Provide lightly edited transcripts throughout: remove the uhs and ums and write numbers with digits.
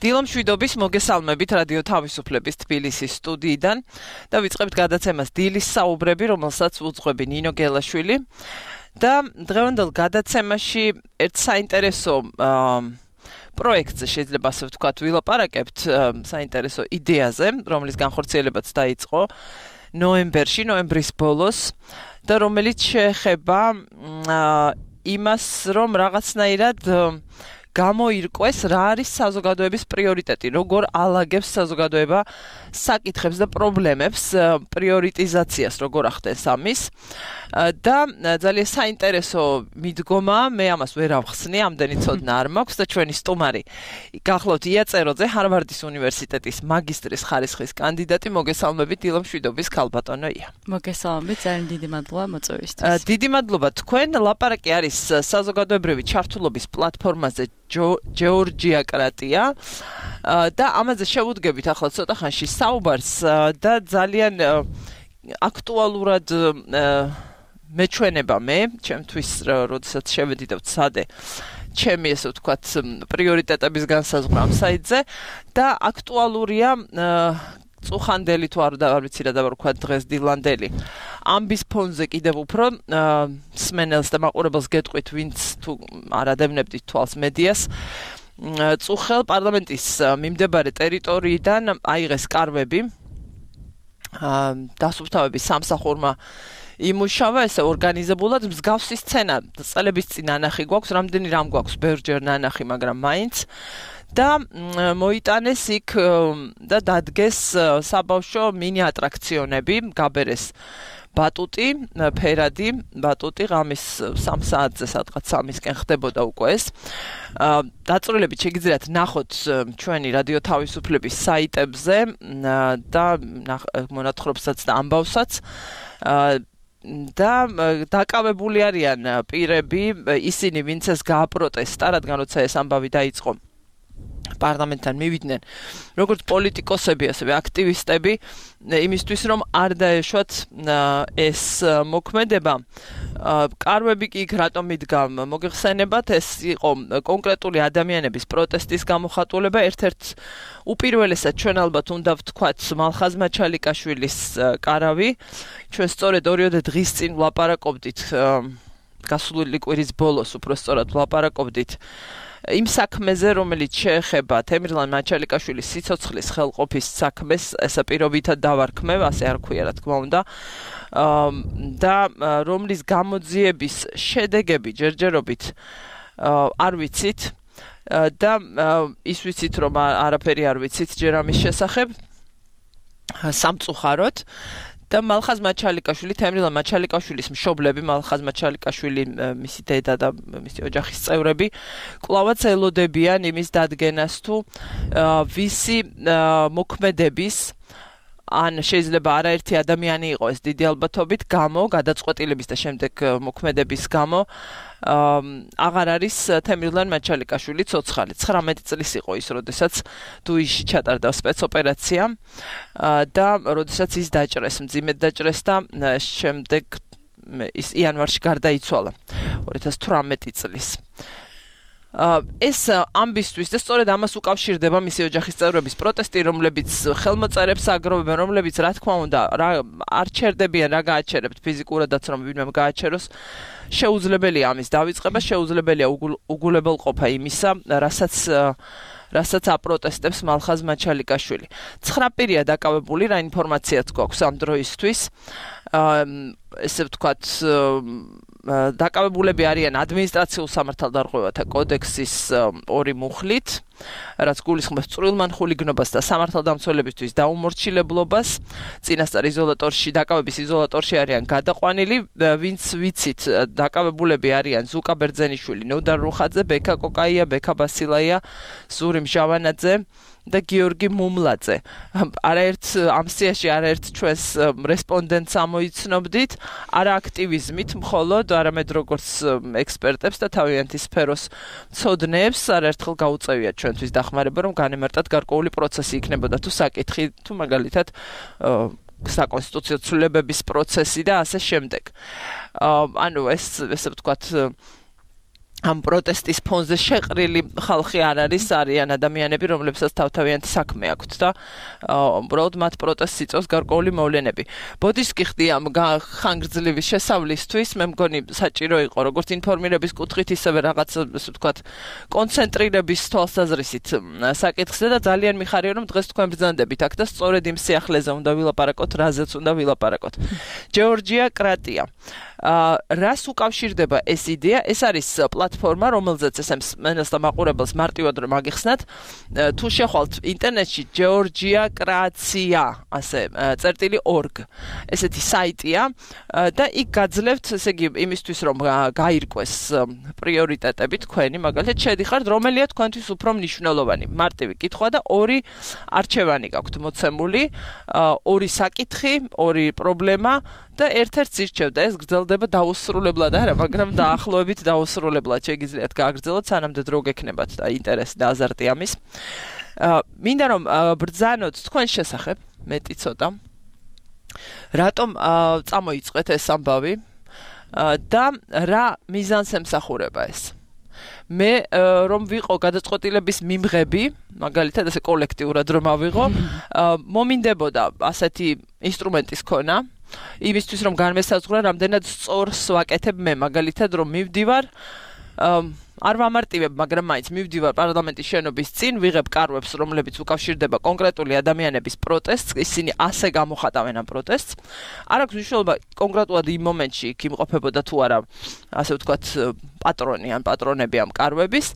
დილომშვიდობის მოგესალმებით რადიო თავისუფლების თბილისის სტუდიიდან და ვიწყებთ გადაცემას დილის საუბრები, რომელსაც უძღვები ნინო გელაშვილი და დღევანდელ გადაცემაში ერთ საინტერესო პროექტზე შეიძლება ასე ვთქვათ ვილაპარაკებთ საინტერესო იდეაზე, რომლის განხორციელებაც დაიწყო ნოემბრის ბოლოს და რომელიც შეეხება იმას, რომ რაღაცნაირად გამოირკვეს რა არის საზოგადოების პრიორიტეტი, როგორ ალაგებს საზოგადოება საკითხებს და პრობლემებს, პრიორიტიზაციას როგორ ახდენს ამის და ძალიან საინტერესო მიდგომა, მე ამას ვერ ავხსნი, ამდენი ცოდნა არ მაქვს და ჩვენი სტუმარი გახლავთ იაწეროძე, ჰარვარდის უნივერსიტეტის მაგისტრის ხარისხის კანდიდატი, მოგესალმებით დილომშვიდობის ქალბატონო ია. მოგესალმებით, ძალიან დიდი მადლობა მოწვევისთვის. დიდი მადლობა თქვენ, ლაპარაკი არის საზოგადოებრივი ჩართულობის პლატფორმაზე ჯეორჯიაკრატია და ამაზე შევუდგებით ახლა ცოტა ხანში საუბარს და ძალიან აქტუალურად მეჩვენება მე, ჩემთვის როდესაც შევედი და ვცადე ჩემი ესე ვთქვათ პრიორიტეტების განსაზღვრა ამ საიტზე და აქტუალურია წუხანდელი თუ არ ვიცი რა დავარქვა დღეს დილანდელი ამბის ფონზე კიდევ უფრო სმენელს და მაყურებელს გეტყვით ვინც თუ არ ადევნებდით თვალს მედიას წუხელ პარლამენტის მიმდებარე ტერიტორიიდან აიღეს კარვები დასუფთავების სამსახურმა იმუშავა ესე ორგანიზებულად მსგავსი სცენა წელების წინ ნანახი გვაქვს რამდენი რამ გვაქვს ბევრჯერ ნანახი მაგრამ მაინც და მოიტანეს იქ და დადგეს საბავშვო მინი ატრაქციონები გაბერეს ბატუტი, ფერადი, ბატუტი ღამის 3 საათზე სადღაც 3-ისკენ ხდებოდა უკვე ეს. დაწვრილებით შეგიძლიათ ნახოთ ჩვენი რადიო თავისუფლების საიტებზე და მონათხრობსაც და ამბავსაც და დაკავებული არიან პირები, ისინი ვინც ეს გააპროტესტა, რადგან როცა ეს ამბავი დაიწყო პარლამენტთან მივიდნენ როგორც პოლიტიკოსები, ასევე აქტივისტები იმისთვის რომ არ დაეშვათ ეს მოქმედება კარვები კი იქ რატომ იდგა მოგეხსენებათ ეს იყო კონკრეტული ადამიანების პროტესტის გამოხატულება ერთ-ერთ უპირველესად ჩვენ ალბათ უნდა ვთქვათ მალხაზ მაჩალიკაშვილის კარავი ჩვენ სწორედ 2 დღის წინ ვლაპარაკობდით გასული კვირის ბოლოს უფრო სწორად ვლაპარაკობდით იმ საქმეზე, რომელიც შეეხება თემრლან მაჩალიკაშვილის სიცოცხლის ხელყოფის საქმეს, ესა პირობითად დავარქმევ, ასე არ ქვია, რა თქმა უნდა, და რომლის გამოძიების შედეგები ჯერჯერობით არ ვიცით და ის ვიცით, რომ არაფერი არ ვიცით ჯერ ამის შესახებ, სამწუხაროდ და მალხაზ მაჩალიკაშვილი, თემრილან მაჩალიკაშვილის მშობლები, მალხაზ მაჩალიკაშვილი, მისი დედა და მისი ოჯახის წევრები, კვლავაც ელოდებიან იმის დადგენას თუ ვისი მოქმედების ან შეიძლება არაერთი ადამიანი იყო ეს დიდი ალბათობით გამო, გადაწყვეტილების და შემდეგ მოქმედების გამო აღარ არის თემრილან მაჩალიკაშვილი ცოცხალი. 19 წლის იყო ის, როდესაც დუიში ჩატარდა სპეცოპერაცია და როდესაც ის დაჭრეს, მძიმედ დაჭრეს და შემდეგ ის იანვარში გარდაიცვალა 2018 წლის. ეს ამბისთვის და სწორედ ამას უკავშირდება მისი ოჯახის წევრების პროტესტი, რომლებიც ხელმოწერებს აგროვებენ, რომლებიც რა თქმა უნდა არ ჩერდებიან რა გააჩერებთ ფიზიკურადაც რომ ვინმე გააჩეროს შეუძლებელია ამის დავიწყება, შეუძლებელია უგულებელყოფა იმისა, რასაც აპროტესტებს მალხაზ მაჩალიკაშვილი. 9 პირია დაკავებული, რა ინფორმაციაც გვაქვს ამ დროისთვის. ესე ვთქვათ დაკავებულები არიან ადმინისტრაციულ სამართალდარღვევათა კოდექსის 2 მუხლით, რაც გულისხმობს წვრილმან ხულიგნობას და სამართალდამცველებისთვის დაუმორჩილებლობას. წინასწარ იზოლატორში, დაკავების იზოლატორში არიან გადაყვანილი, ვინც ვიცით, დაკავებულები არიან ზუკა ბერძენიშვილი, ნოდარ რუხაძე, ბექა კოკაია, ბექა ბასილაია, ზური მჟავანაძე და გიორგი მუმლაძე. არაერთ ამ სიაში არაერთ ჩვენს რესპონდენტს ამოიცნობდით, არა აქტივიზმით მხოლოდ, არამედ როგორც ექსპერტებს და თავიანთი სფეროს მცოდნეებს არაერთხელ გაუწევიათ ჩვენთვის დახმარება, რომ განემარტათ გარკვეული პროცესი იქნებოდა თუ საკითხი, თუ მაგალითად საკონსტიტუციო ცვლილებების პროცესი და ასე შემდეგ. ანუ ესე ვთქვათ ამ პროტესტის ფონზე შეყრილი ხალხი არ არიან ადამიანები, რომლებსაც თავთავიანთი საქმე აქვთ და უბრალოდ მათ პროტესტს იწვევს გარკვეული მოვლენები. ბოდიშს გიხდი ამ ხანგრძლივი შესავლისთვის, მე მგონი საჭირო იყო როგორც ინფორმირების კუთხით, ისევე რაღაც ასე ვთქვათ, კონცენტრირების თვალსაზრისით საკითხზე და ძალიან მიხარია რომ დღეს თქვენ ბრძანდებით აქ და სწორედ იმ სიახლეზე უნდა ვილაპარაკოთ, რაზეც უნდა ვილაპარაკოთ. ჯორჯია კრატია. რას უკავშირდება ეს იდეა? ეს არის პლატფორმა, რომელზეც ესემს მენელს და მაყურებელს მარტივად რომ აგიხსნათ, თუ შეხვალთ ინტერნეტში ჯორჯია კრაცია, ასე წერტილი.org. ესეთი საიტია და იქ გაძლევთ, ესე იგი, იმისთვის რომ გაირკვეს პრიორიტეტები თქვენი, მაგალითად, შედიხართ, რომელია თქვენთვის უფრო მნიშვნელოვანი. მარტივი კითხვა და ორი არჩევანი გაქვთ მოცემული, ორი საკითხი, ორი პრობლემა და ერთ-ერთს ირჩევ და ეს გრძელდება დაუსრულებლად არა, მაგრამ დაახლოებით დაუსრულებლად შეგიძლიათ გააგრძელოთ, სანამდე დრო გექნებათ და ინტერესი და აზარტი ამის. მინდა რომ ბრძანოთ თქვენ შესახებ, მეტი ცოტა. რატომ წამოიწყეთ ეს ამბავი და რა მიზანს ემსახურება ეს? მე რომ ვიყო გადაწყვეტილების მიმღები, მაგალითად ასე კოლექტიურად რომ ავიღო, მომინდებოდა ასეთი ინსტრუმენტის ქონა, იმისთვის რომ განმესაზღვრა რამდენად სწორს ვაკეთებ მე, მაგალითად რომ მივდივარ არ ვამარტივებ, მაგრამ მაინც მივდივარ პარლამენტის შენობის წინ, ვიღებ კარვებს, რომლებიც უკავშირდება კონკრეტული ადამიანების პროტესტს, ისინი ასე გამოხატავენ ამ პროტესტს. არ აქვს მნიშვნელობა კონკრეტულად იმ მომენტში იქ იმყოფებოდა თუ არა, ასე ვთქვათ, პატრონი ან პატრონები ამ კარვების,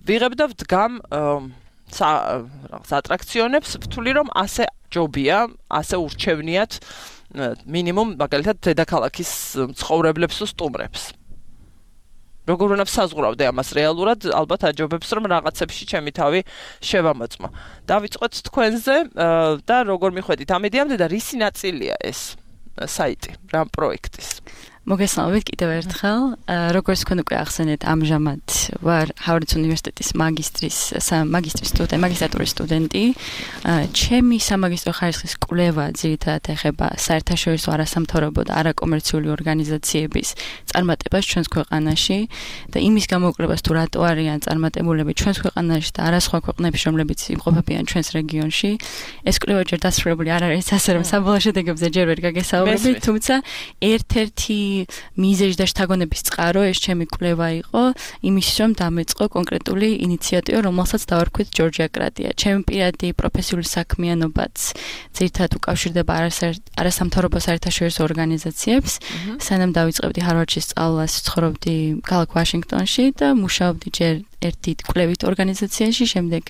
ვიღებ და ვდგამ საატრაქციონებს, ვთვლი რომ ასე ჯობია, ასე ურჩევნიათ მინიმუმ მაგალითად დედაქალაქის მცხოვრებლებს თუ სტუმრებს. როგორ უნდა საზღვრავდე ამას რეალურად, ალბათ აჯობებს რომ რაღაცებში ჩემი თავი შევამოწმო. დავიწყოთ თქვენზე და როგორ მიხვედით ამ იდეამდე და რისი ნაწილია ეს საიტი, რა პროექტის? მოგესალმებით კიდევ ერთხელ. როგორც თქვენ უკვე ახსენეთ, ამჟამად ვარ ჰავარდის უნივერსიტეტის მაგისტრატურის სტუდენტი. ჩემი სამაგისტრო ხარისხის კვლევა ძირითადად ეხება საერთაშორისო არასამთავრობო და არაკომერციული ორგანიზაციების წარმატებას ჩვენს ქვეყანაში და იმის გამოკვლევას თუ რატო არიან წარმატებულები ჩვენს ქვეყანაში და არა სხვა ქვეყნებში, რომლებიც იმყოფებიან ჩვენს რეგიონში. ეს კვლევა ჯერ დასრულებული არ არის, ასე რომ საბოლოო შედეგებზე ჯერ ვერ გაგესაუბრებით, თუმცა ერთ-ერთი მიზეზი და შთაგონების წყარო ეს ჩემი კვლევა იყო იმის რომ დამეწყო კონკრეტული ინიციატივა, რომელსაც დავარქვით ჯორჯია კრატია. ჩემი პირადი პროფესიული საქმიანობაც ძირითადად უკავშირდება არასამთავრობო საერთაშორისო ორგანიზაციებს. სანამ დავიწყებდი ჰარვარდში სწავლას, ცხოვრობდი ქალაქ ვაშინგტონში და მუშაობდი ჯერ ერთი კვლევით ორგანიზაციაში, შემდეგ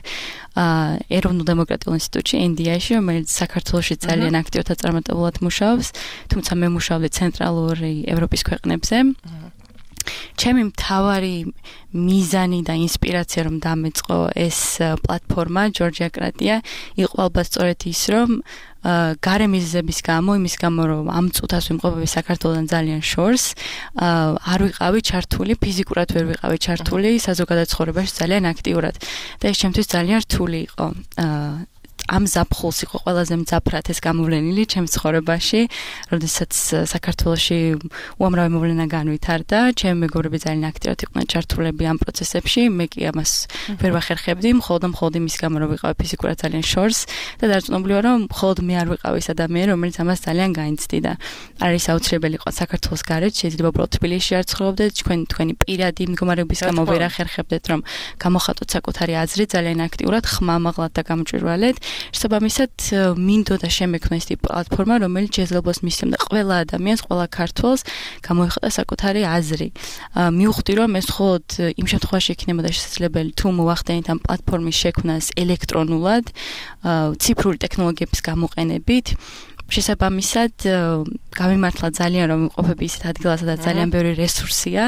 ეროვნულ დემოკრატიულ ინსტიტუტში, NDI-ში, რომელიც საქართველოში ძალიან აქტიურად წარმატებულად მუშაობს, თუმცა მე მუშაობდი ცენტრალური ევროპის ქვეყნებზე. ჩემი მთავარი მიზანი და ინსპირაცია რომ დამეწყო ეს პლატფორმა ჯორჯია კრატია იყო ალბათ სწორედ ის რომ გარე მიზეზების გამო, იმის გამო რომ ამ წუთას ვიმყოფები საქართველოსთან ძალიან შორს, არ ვიყავი ჩართული, ფიზიკურად ვერ ვიყავი ჩართული საზოგადოებრივ ცხოვრებაში ძალიან აქტიურად და ეს ჩემთვის ძალიან რთული იყო. ამ ზაფხულს იყო ყველაზე მძაფრად ეს გამოვლენილი ჩემს ცხოვრებაში, როდესაც საქართველოში უამრავი მოვლენა განვითარდა, ჩემი მეგობრები ძალიან აქტიურად იყვნენ ჩართულები ამ პროცესებში, მე კი ამას ვერ ვახერხებდი, მხოლოდ იმის გამო რომ ვიყავი ფიზიკურად ძალიან შორს და დარწმუნებული ვარ, რომ მხოლოდ მე არ ვიყავი ეს ადამიანი, რომელიც ამას ძალიან გაიცდიდა. არის აუცილებელი იყო საქართველოს გარეთ, შეიძლება უბრალოდ თბილისში არ ცხოვრობდეთ, თქვენი პირადი მდგომარეობის გამო ვერ ახერხებდეთ, რომ გამოხატოთ საკუთარი აზრი ძალიან აქტიურად, ხმამაღლად და გამჭვირვალედ. შესაბამისად, მინდოდა შემექმნა ეს პლატფორმა, რომელიც შესაძლებლობას მისცემდა ყველა ადამიანს, ყველა ქართველს გამოეხატა საკუთარი აზრი. მივხვდი, რომ ეს მხოლოდ იმ შემთხვევაში იქნებოდა შესაძლებელი, თუ მოახდენით ამ პლატფორმის შექმნას ელექტრონულად, ციფრული ტექნოლოგიების გამოყენებით. შესაბამისად, გამიმართლა ძალიან რომ ვიყოფები ისეთ ადგილას, სადაც ძალიან ბევრი რესურსია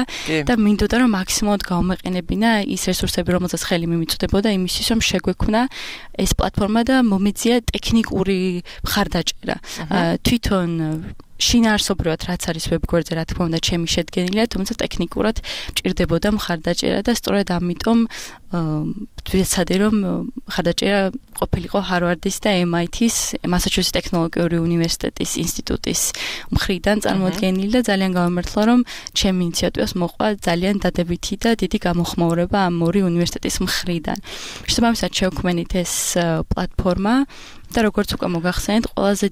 და მინდოდა რომ მაქსიმალურად გავამეყენებინა ის რესურსები, რომელსაც ხელი მიმიწვდებოდა იმისთვის, რომ შეგვექმნა ეს პლატფორმა და მომეწია ტექნიკური მხარდაჭერა. თვითონ შინაარსობრივად რაც არის ვებგვერდზე, რა თქმა უნდა, ჩემი შედგენილია, თუმცა ტექნიკურად მჭირდებოდა მხარდაჭერა და სწორედ ამიტომ ვეცადე რომ მხარდაჭერა ყოფილიყო Harvard-ის და MIT-ის, Massachusetts ტექნოლოგიური უნივერსიტეტის ინსტიტუტის მხრიდან წარმოდგენილი და ძალიან გავამართლა რომ ჩემი ინიციატივას მოყვა ძალიან დადებითი და დიდი გამოხმაურება ამ ორი უნივერსიტეტის მხრიდან. შესაბამისად შევქმნით ეს პლატფორმა და როგორც უკვე მოგახსენეთ, ყველაზე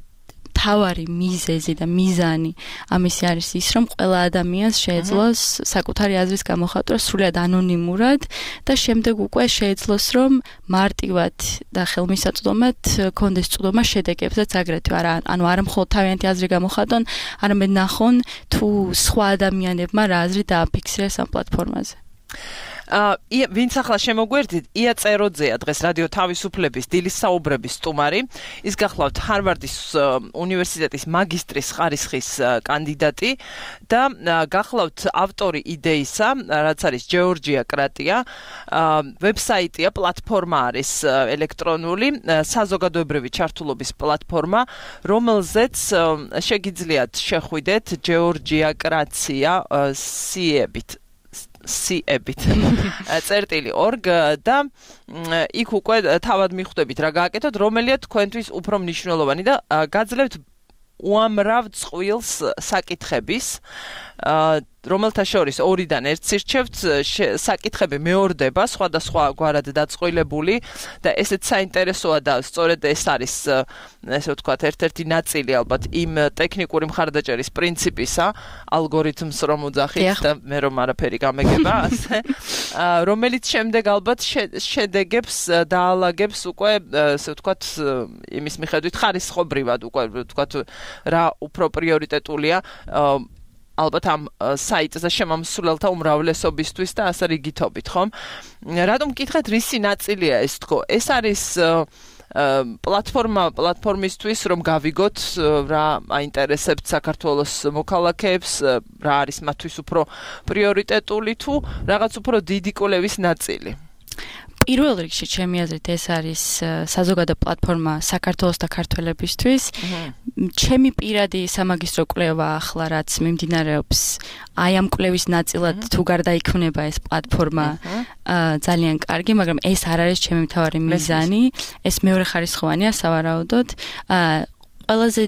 თავარი მიზეზი და მიზანი ამისი არის ის, რომ ყველა ადამიანს შეეძლოს საკუთარი აზრის გამოხატვა სრულად ანონიმურად და შემდეგ უკვე შეეძლოს რომ მარტივად და ხელმისაწვდომად კონდეს წვდომა შედეგებზეც აგრეთვე ანუ არა მხოლოდ თავიანთი აზრი გამოხატონ, არამედ ნახონ თუ სხვა ადამიანებმა რა აზრი დააფიქსირეს ამ პლატფორმაზე. ვინც ახლა შემოგვერდით, ია წეროძეა დღეს რადიო თავისუფლების დილის საუბრების სტუმარი. ის გახლავთ Harvard-ის უნივერსიტეტის მაგისტრის ხარისხის კანდიდატი და გახლავთ ავტორი იდეისა, რაც არის ჯეორჯია კრატია. ვებსაიტია, პლატფორმა არის ელექტრონული, საზოგადოებრივი ჩართულობის პლატფორმა, რომელზეც შეგიძლიათ შეხვიდეთ ჯეორჯია კრატია წერტილი.org და იქ უკვე თავად მიხვდებით რა გააკეთოთ, რომელია თქვენთვის უფრო მნიშვნელოვანი და გაძლევთ უამრავ წყვილს საკითხების, რომელთა შორის ორიდან ერთს ირჩევთ, საკითხები მეორდება, სხვადასხვა გვარად დაწყვილებული და ესეც საინტერესოა და სწორედ ეს არის, ესე ვთქვათ, ერთ-ერთი ნაწილი ალბათ იმ ტექნიკური მხარდაჭერის პრინციპისა, ალგორითმს რომ უძახით და მე რომ არაფერი გამეგება, ასე, რომელიც შემდეგ ალბათ შედეგებს დაალაგებს უკვე, ესე ვთქვათ, იმის მიხედვით ხარისხობრივად უკვე ვთქვათ რა უფრო პრიორიტეტულია ალბათ ამ საიტზე შემამსვლელთა უმრავლესობისთვის და ასე რიგითობით, ხომ? რატომ გკითხეთ, რისი ნაწილია ეს თქო? ეს არის პლატფორმისთვის რომ გავიგოთ რა აინტერესებთ საქართველოს მოქალაქეებს, რა არის მათთვის უფრო პრიორიტეტული თუ რაღაც უფრო დიდი კვლევის ნაწილი. პირველ რიგში ჩემი აზრით ეს არის საზოგადო პლატფორმა საქართველოს და ქართველებისთვის. ჩემი პირადი სამაგისტრო კვლევა ახლა რაც მიმდინარეობს, აი ამ კვლევის ნაწილად თუ გარდაიქმნება ეს პლატფორმა, ძალიან კარგი, მაგრამ ეს არ არის ჩემი მთავარი მიზანი, ეს მეორე ხარისხოვანია სავარაუდოდ. ყველაზე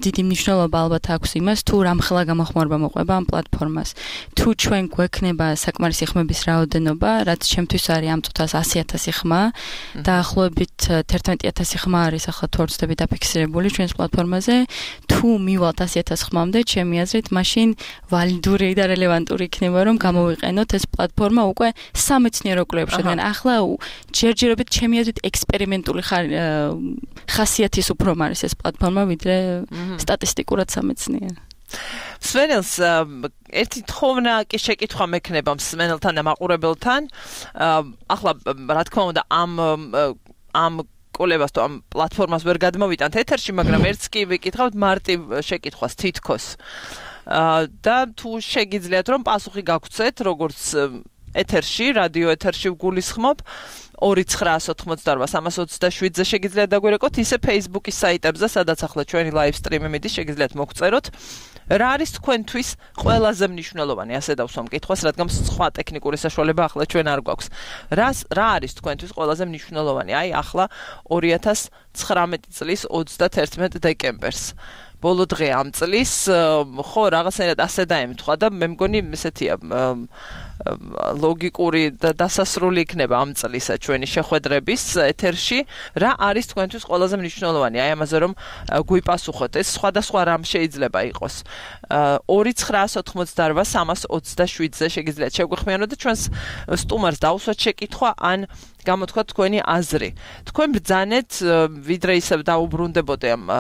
დიდი მნიშვნელობა ალბათ აქვს იმას, თუ რამხელა გამოხმაურება მოყვება ამ პლატფორმას. თუ ჩვენ გვექნება საკმარისი ხმების რაოდენობა, რაც ჩემთვის არის ამ წუთას 100,000 ხმა, დაახლოებით 11,000 ხმა არის ახლა თუ არ ვცდები დაფიქსირებული ჩვენს პლატფორმაზე, თუ მივალთ 100,000 ხმამდე, ჩემი აზრით, მაშინ ვალიდური და რელევანტური იქნება, რომ გამოვიყენოთ ეს პლატფორმა უკვე სამეცნიერო კვლევებში. რადგან ახლა ჯერჯერობით ჩემი აზრით ექსპერიმენტული ხასიათის უფრო არის ეს პლატფორმა ვიდრე სტატისტიკურად სამეცნიერო. მსმენელს ერთი თხოვნა კი შეკითხვა მექნება მსმენელთან და მაყურებელთან. ახლა რა თქმა უნდა ამ კოლებას თუ ამ პლატფორმას ვერ გადმოვიტანთ ეთერში, მაგრამ ერთს კი ვიკითხავთ მარტივ შეკითხვას თითქოს. და თუ შეგიძლიათ რომ პასუხი გაგცეთ, როგორც ეთერში, რადიო ეთერში ვგულისხმობ 2988-327-ზე შეგიძლიათ დაგვირეკოთ, ისე Facebook-ის საიტებზე, სადაც ახლა ჩვენი live stream-ი მიდის, შეგიძლიათ მოგწეროთ. რა არის თქვენთვის ყველაზე მნიშვნელოვანი, ასე დავსვა მკითხვას, რადგან სხვა ტექნიკური საშუალება ახლა ჩვენ არ გვაქვს. რა არის თქვენთვის ყველაზე მნიშვნელოვანი? აი ახლა 2019 წლის 31 დეკემბერს. ბოლო დღე ამ წლის, ხო, რაღაცნაირად ასე დაემთხვა და მე მგონი ესეთია ლოგიკური და დასასრული იქნება ამ წლისა ჩვენი შეხვედრების ეთერში. რა არის თქვენთვის ყველაზე მნიშვნელოვანი? აი ამაზე რომ გვიპასუხოთ, ეს სხვადასხვა რამ შეიძლება იყოს. 2988-327-ზე შეგიძლიათ შეგვიხმიანოთ და ჩვენს სტუმარს დავუსვათ შეკითხვა ან გამოთქვათ თქვენი აზრი. თქვენ ბრძანეთ, ვიდრე ისევ დაუბრუნდებოდე ამ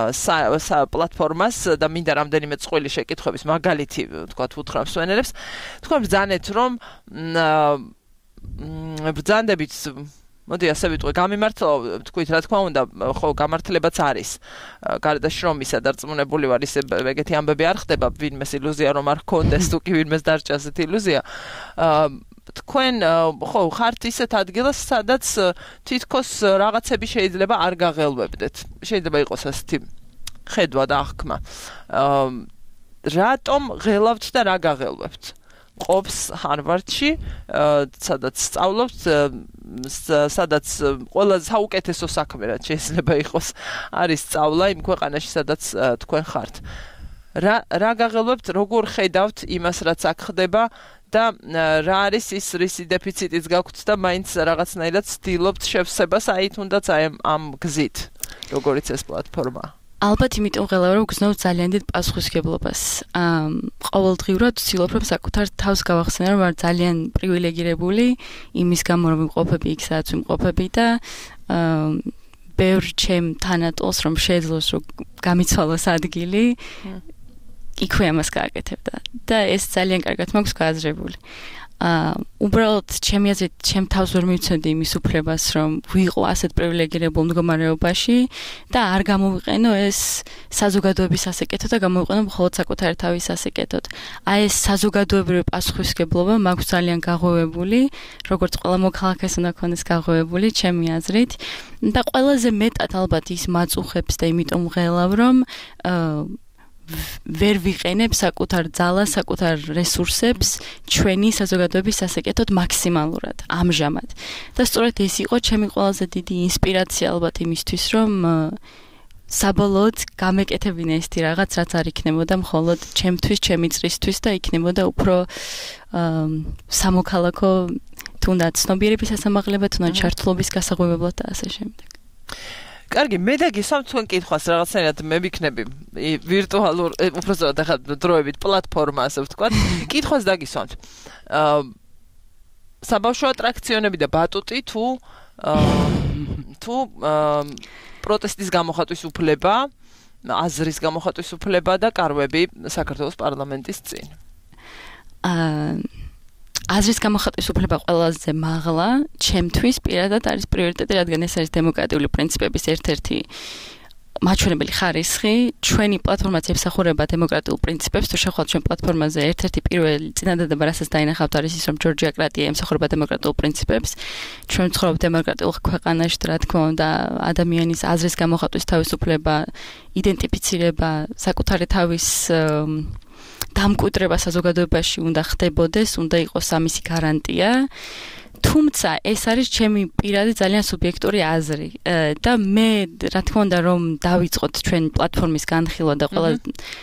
პლატფორმას და მინდა რამდენიმე წყვილი შეკითხვების მაგალითი, თქვათ, უთხრა მსმენელებს. თქვენ ბრძანეთ, რომ ბრძანდებით, მოდი ასე ვიტყვი, გამიმართლა, თქვით, რა თქმა უნდა, ხო, გამართლებაც არის. გარდა შრომისა დარწმუნებული ვარ, ისე ეგეთი ამბები არ ხდება, ვინმეს ილუზია რომ არ გქონდეს, თუ კი ვინმეს დარჩა ასეთი ილუზია. თქვენ ხო ხართ ისეთ ადგილას, სადაც თითქოს რაღაცები შეიძლება არ გაღელვებდეთ. შეიძლება იყოს ასეთი ხედვა და აღქმა. რატომ ღელავთ და რა გაღელვებთ? ყოფს ჰარვარდში, სადაც სწავლობთ, სადაც ყველა საუკეთესო საქმე რაც შეიძლება იყოს, არის სწავლა იმ ქვეყანაში, სადაც თქვენ ხართ. რა გაღელვებთ, როგორ ხედავთ იმას, რაც აქ ხდება და რა არის ის რისი დეფიციტიც გაქვთ და მაინც რაღაცნაირად ცდილობთ შევსებას აი თუნდაც აი ამ გზით, როგორიც ეს პლატფორმა. ალბათ იმიტომ ღელავ რომ გზნობ ძალიან დიდ პასუხისმგებლობას. ყოველდღიურად ვცდილობ რომ საკუთარ თავს გავახსენო რომ ვარ ძალიან პრივილეგირებული იმის გამო რომ ვიმყოფები იქ სადაც ვიმყოფები და ბევრ ჩემ თანატოლს რომ შეძლოს რომ გამიცვალოს ადგილი იქვე ამას გააკეთებდა და ეს ძალიან კარგად მაქვს გააზრებული. უბრალოდ ჩემი აზრით ჩემ თავს ვერ მივცემდი იმის უფლებას რომ ვიყო ასეთ პრივილეგირებულ მდგომარეობაში და არ გამოვიყენო ეს საზოგადოების ასაკეთო და გამოვიყენო მხოლოდ საკუთარი თავის ასაკეთოდ. აი ეს საზოგადოებრივი პასუხისმგებლობა მაქვს ძალიან გაღვივებული, როგორც ყველა მოქალაქეს უნდა ქონდეს გაღვივებული ჩემი აზრით და ყველაზე მეტად ალბათ ის მაწუხებს და იმიტომ ღელავ რომ ვერ ვიყენებ საკუთარ ძალას, საკუთარ რესურსებს ჩვენი საზოგადოების ასაკეთოდ მაქსიმალურად ამჟამად. და სწორედ ეს იყო ჩემი ყველაზე დიდი ინსპირაცია ალბათ იმისთვის, რომ საბოლოოდ გამეკეთებინა ესეთი რაღაც, რაც არ იქნებოდა მხოლოდ ჩემთვის, ჩემი წრისთვის და იქნებოდა უფრო სამოქალაქო თუნდაც ცნობიერების სასამაღლებად, თუნდაც ჩართულობის გასაღვივებლად და ასე შემდეგ. კარგი, მე დაგისვამთ თქვენ კითხვას რაღაცნაირად მე ვიქნები ვირტუალურ უბრალოდ ახლა დროებით პლატფორმა ასე ვთქვათ. კითხვას დაგისვამთ. საბავშვო ატრაქციონები და ბატუტი თუ პროტესტის გამოხატვის უფლება, აზრის გამოხატვის უფლება და კარვები საქართველოს პარლამენტის წინ. აზრის გამოხატვის უფლება ყველაზე მაღლა ჩემთვის პირადად არის პრიორიტეტი, რადგან ეს არის დემოკრატიული პრინციპების ერთ-ერთი მაჩვენებელი ხარისხი. ჩვენი პლატფორმაც ემსახურება დემოკრატიულ პრინციპებს. თუ შევხვდით ჩვენ პლატფორმაზე ერთ-ერთი პირველი წინადადება, რასაც დაინახავთ, არის ის, რომ ჯორჯია-კრატია ემსახურება დემოკრატიულ პრინციპებს. ჩვენ ვცხოვრობთ დემოკრატიულ ქვეყანაში, რა თქმა უნდა, ადამიანის აზრის გამოხატვის თავისუფლება, იდენტიფიცირება, საკუთარი თავის დამკვიდრება საზოგადოებაში უნდა ხდებოდეს, უნდა იყოს ამისი გარანტია. თუმცა ეს არის ჩემი პირადი ძალიან სუბიექტური აზრი და მე რა თქმა უნდა რომ დავიწყოთ ჩვენ პლატფორმის განხილვა და ყველა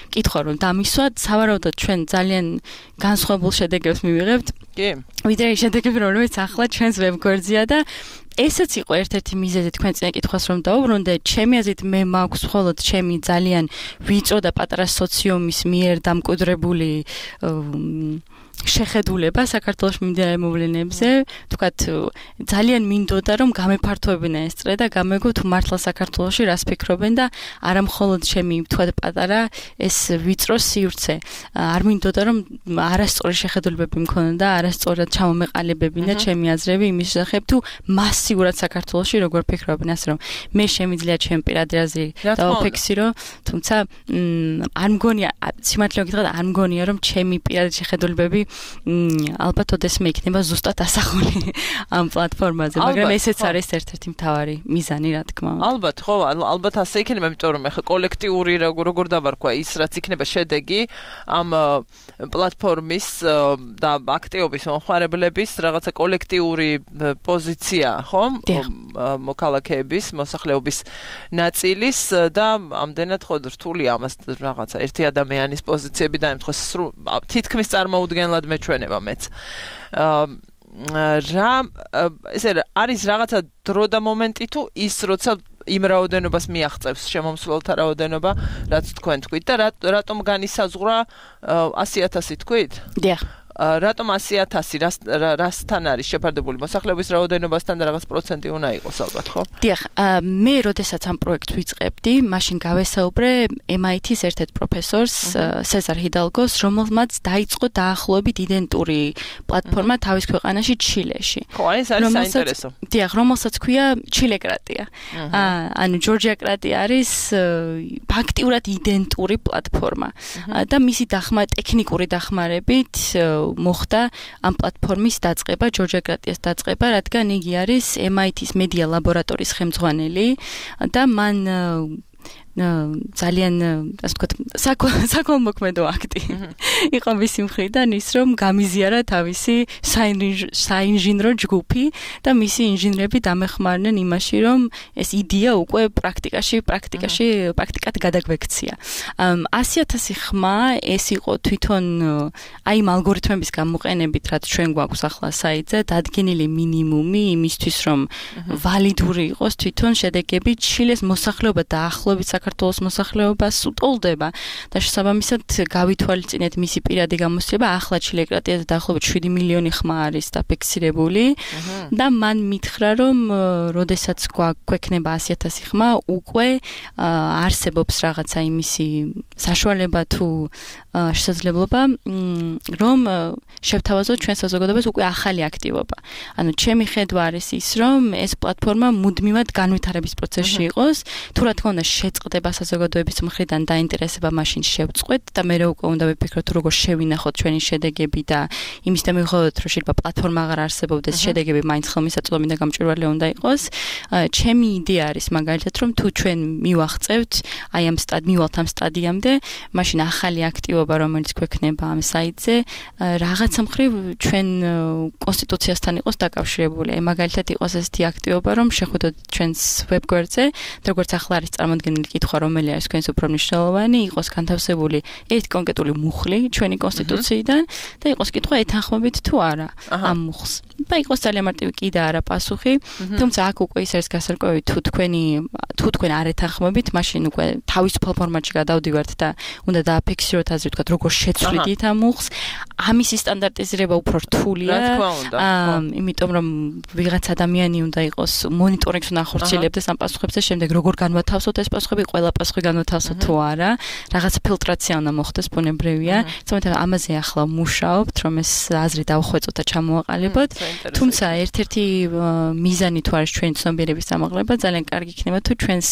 კითხვა რომ დამისვათ, სავარაუდოდ ჩვენ ძალიან განსხვავებულ შედეგებს მივიღებთ. კი. ვიდრე შედეგები რომლებიც ახლა ჩვენს ვებგვერდზეა და ესეც იყო ერთ-ერთი მიზეზი თქვენ წინა კითხვას რომ დავუბრუნდე. ჩემი აზრით მე მაქვს მხოლოდ ჩემი ძალიან ვიწრო და პატარა სოციუმის მიერ დამკვიდრებული შეხედულება საქართველოს მიმდინარე მოვლენებზე, თქვათ ძალიან მინდოდა რომ გამეფართოებინა ეს წრე და გამეგო თუ მართლა საქართველოში რას ფიქრობენ და არა მხოლოდ ჩემი თქვათ პატარა ეს ვიწრო სივრცე. არ მინდოდა რომ არასწორი შეხედულებები მქონოდა, არასწორად ჩამომეყალებებინა ჩემი აზრები იმის შესახებ თუ მასიურად საქართველოში როგორ ფიქრობენ, ასე რომ მე შემიძლია ჩემი პირადი აზრი დავაფიქსირო, თუმცა არ მგონია სიმართლე გითხრათ არ მგონია რომ ჩემი პირადი შეხედულებები ალბათ ოდესმე იქნება ზუსტად ასახული ამ პლატფორმაზე, მაგრამ ესეც არის ერთ-ერთი მთავარი მიზანი, რა თქმა უნდა. ალბათ, ხო, ალბათ ასე იქნება, იმიტომ რომ ეხლა კოლექტიური როგორ დავარქვა ის, რაც იქნება შედეგი ამ პლატფორმის და აქტივობის მომხმარებლების რაღაცა კოლექტიური პოზიცია, ხო? მოქალაქეების, მოსახლეობის ნაწილის და ამდენად ხო რთული ამას რაღაცა ერთი ადამიანის პოზიციები დაემთხოს თითქმის წარმოუდგენლად მეჩვენება მეც. ესე არის რაღაცა დრო და მომენტი თუ ის როცა იმ რაოდენობას მიაღწევს შემომსვლელთა რაოდენობა, რაც თქვენ თქვით და რატომ განისაზღვრა 100,000 თქვით? დიახ. რატომ 100,000 რასთან არის შეფარდებული მოსახლეობის რაოდენობასთან და რაღაც პროცენტი უნდა იყოს ალბათ, ხო? დიახ, მე როდესაც ამ პროექტს ვიწყებდი, მაშინ გავესაუბრე MIT-ის ერთ-ერთ პროფესორს, სეზარ ჰიდალგოს, რომელმაც დაიწყო დაახლოებით იდენტური პლატფორმა თავის ქვეყანაში ჩილეში. ხო, ეს არის საინტერესო. დიახ, რომელსაც ქვია ჩილეკრატია. ანუ ჯორჯია-კრატია არის ფაქტიურად იდენტური პლატფორმა და მისი ტექნიკური დახმარებით მოხდა ამ პლატფორმის დაწყება, ჯორჯია-კრატიას დაწყება, რადგან იგი არის MIT-ის მედია ლაბორატორიის ხელმძღვანელი და მან ძალიან ასე ვთქვათ საკოლმოქმედო აქტი იყო მისი მხრიდან ის რომ გამიზიარა თავისი საინჟინრო ჯგუფი და მისი ინჟინრები დამეხმარნენ იმაში რომ ეს იდეა უკვე პრაქტიკად გადაგვექცია 100,000 ხმა ეს იყო თვითონ აი იმ ალგორითმების გამოყენებით რაც ჩვენ გვაქვს ახლა საიტზე დადგენილი მინიმუმი იმისთვის რომ ვალიდური იყოს თვითონ შედეგები ჩილეს მოსახლეობა დაახლოებით საქართველოს მოსახლეობას უტოლდება და შესაბამისად გავითვალისწინეთ მისი პირადი გამოსცემება ახლა ჩილეკრატიაზე დაახლოებით 7 მილიონი ხმა არის დაფიქსირებული და მან მითხრა რომ როდესაც გვექნება 100,000 ხმა უკვე არსებობს რაღაცა იმისი საშუალება თუ შესაძლებლობა რომ შევთავაზოთ ჩვენ საზოგადოებას უკვე ახალი აქტივობა. ანუ ჩემი ხედვა არის ის რომ ეს პლატფორმა მუდმივად განვითარების პროცესში იყოს, თუ რა თქმა უნდა შეწყდება საზოგადოების მხრიდან დაინტერესება მაშინ შევწყვეთ და მე უკვე უნდა ვიფიქროთ როგორ შევინახოთ ჩვენი შედეგები და იმის და მივხვდეთ რომ შეიძლება პლატფორმა აღარ არსებობდეს, შედეგები მაინც ხელმისაწვდომი და გამჭვირვალე უნდა იყოს. ჩემი იდეა არის მაგალითად რომ თუ ჩვენ მივახწევთ აი ამ მივალთ ამ სტადიამდე, მაშინ ახალი აქტივობა რომელიც გვექნება ამ საიტზე რაღაცა მხრივ ჩვენ კონსტიტუციასთან იყოს დაკავშირებული. მაგალითად იყოს ესეთი აქტივობა რომ შეხვდეთ ჩვენს ვებგვერდზე, როგორც ახლა არის წარმოდგენილი კითხვა რომელი არის თქვენს უფრო მნიშვნელოვანი, იყოს განთავსებული ერთ კონკრეტული მუხლი ჩვენი კონსტიტუციიდან და იყოს კითხვა ეთანხმებით თუ არა ამ მუხლს. და იყოს ძალიან მარტივი კი და არა პასუხი, თუმცა აქ უკვე ის არის გასარკვევი თუ თქვენ არ ეთანხმებით, მაშინ უკვე თავისუფალ ფორმატში გადავდივართ და უნდა დააფიქსიროთ ასე ვთქვათ როგორ შეცვლით ამ მუხლს. ამისი სტანდარტიზება უფრო რთულია. იმიტომ რომ ვიღაც ადამიანი უნდა იყოს მონიტორინგს უნდა ახორციელებდეს ამ პასუხებზე, შემდეგ როგორ განვათავსოთ ეს პასუხები, ყველა პასუხი განვათავსოთ თუ არა, რაღაც ფილტრაცია უნდა მოხდეს ბუნებრივია. თუმცა ამაზე ახლა მუშაობთ, რომ ეს აზრი დავხვეწოთ და ჩამოვაყალიბოთ. თუმცა ერთ-ერთი მიზანი თუ არის ჩვენი ცნობიერების ამაღლება, ძალიან კარგი იქნება თუ ჩვენს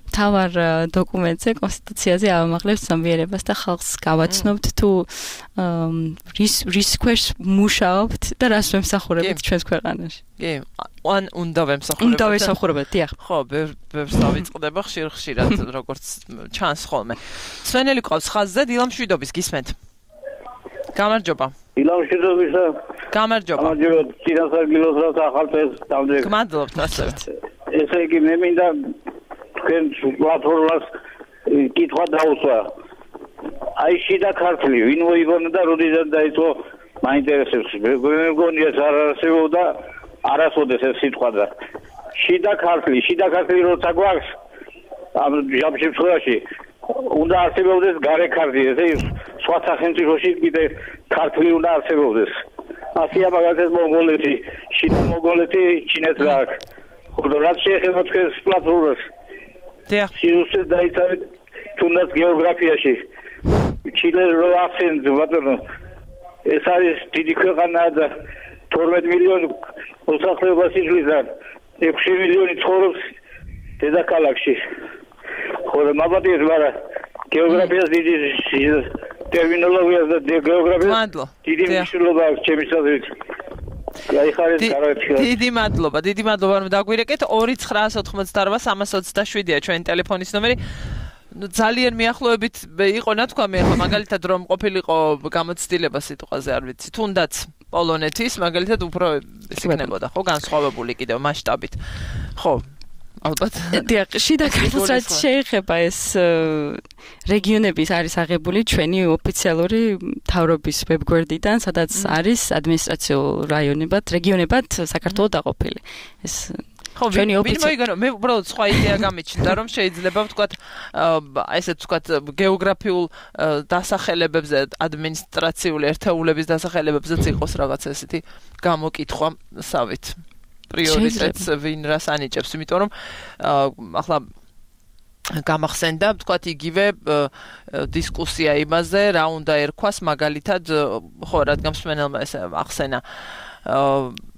მთავარ დოკუმენტზე, კონსტიტუციაზე ავამაღლებთ ცნობიერებას და ხალხს გავაცნობთ თუ რის ქვეშ მუშაობთ და რას ვემსახურებთ ჩვენს ქვეყანაში. კი, უნდა ვემსახურებთ. უნდა ვემსახურებთ, დიახ. ხო, ბევრს დავიწყდება ხშირ-ხშირად, როგორც ჩანს ხოლმე. სვენელი ყავს ხაზზე, დილამ შვიდობის გისმენთ. გამარჯობა. დილამ შვიდობისა. გამარჯობა. გამარჯობა, წინასარგილოს რა ახალწელს დავდრეკ. გმადლობთ ასევე. ესე იგი მე მინდა თქვენ პლატფორმას კითხვა დაუსვა. აი შიდა ქართლი, ვინ მოიგონა და როდესაც დაიწყო მაინტერესებს. მე მგონია ეს არ არსებობდა არასოდეს ეს სიტყვა და შიდა ქართლი როცა გვაქვს ამ შემთხვევაში უნდა არსებობდეს გარე ქართლი, ესე სხვა სახელმწიფოში კიდე ქართლი უნდა არსებობდეს. ასია მაგალითად მონღოლეთი, შიდა მონღოლეთი ჩინეთს რა აქვს. ხო, რაც შეეხება თქვენს პლატფორმას. დიახ. სიუჟეტი დაიცავთ თუნდაც გეოგრაფიაში. ჩილე რო ახსენეთ ბატონო ეს არის დიდი ქვეყანა და 12 მილიონი მოსახლეობას იძლევის და 6 მილიონი ცხოვრობს დედაქალაქში. ხო და მაბადიეთ, მაგრამ გეოგრაფიას დიდი ტერმინოლოგიას და გეოგრაფიას დიდი მნიშვნელობა აქვს ჩემის აზრით. დიდი მადლობა რომ დაგვირეკეთ. 2988327-327-ია ჩვენი ტელეფონის ნომერი. ძალიან მიახლოებით იყო ნათქვამი, ახლა მაგალითად რომ ყოფილიყო გამოცდილება სიტყვაზე არ ვიცი, თუნდაც პოლონეთის მაგალითად უფრო ის იქნებოდა, ხო, განსხვავებული კიდევ მასშტაბით. ხო, ალბათ. დიახ, შიდა ქართლს რაც შეეხება ეს რეგიონების არის აღებული ჩვენი ოფიციალური მთავრობის ვებგვერდიდან, სადაც არის ადმინისტრაციულ რეგიონებად საქართველოს დაყოფილი. ეს ხო, ვინ მოიგონა? მე უბრალოდ სხვა იდეა გამიჩნდა, რომ შეიძლება ვთქვათ, ესე ვთქვათ, გეოგრაფიულ დასახელებებზე, ადმინისტრაციული ერთეულების დასახელებებზეც იყოს რაღაც ესეთი გამოკითხვა, სავით. პრიორიტეტს ვინ რას ანიჭებს, იმიტომ რომ ახლა გამახსენდა, ვთქვათ, იგივე დისკუსია იმაზე, რა უნდა ერქვას, მაგალითად, ხო, რადგან მსმენელმა ეს ახსენა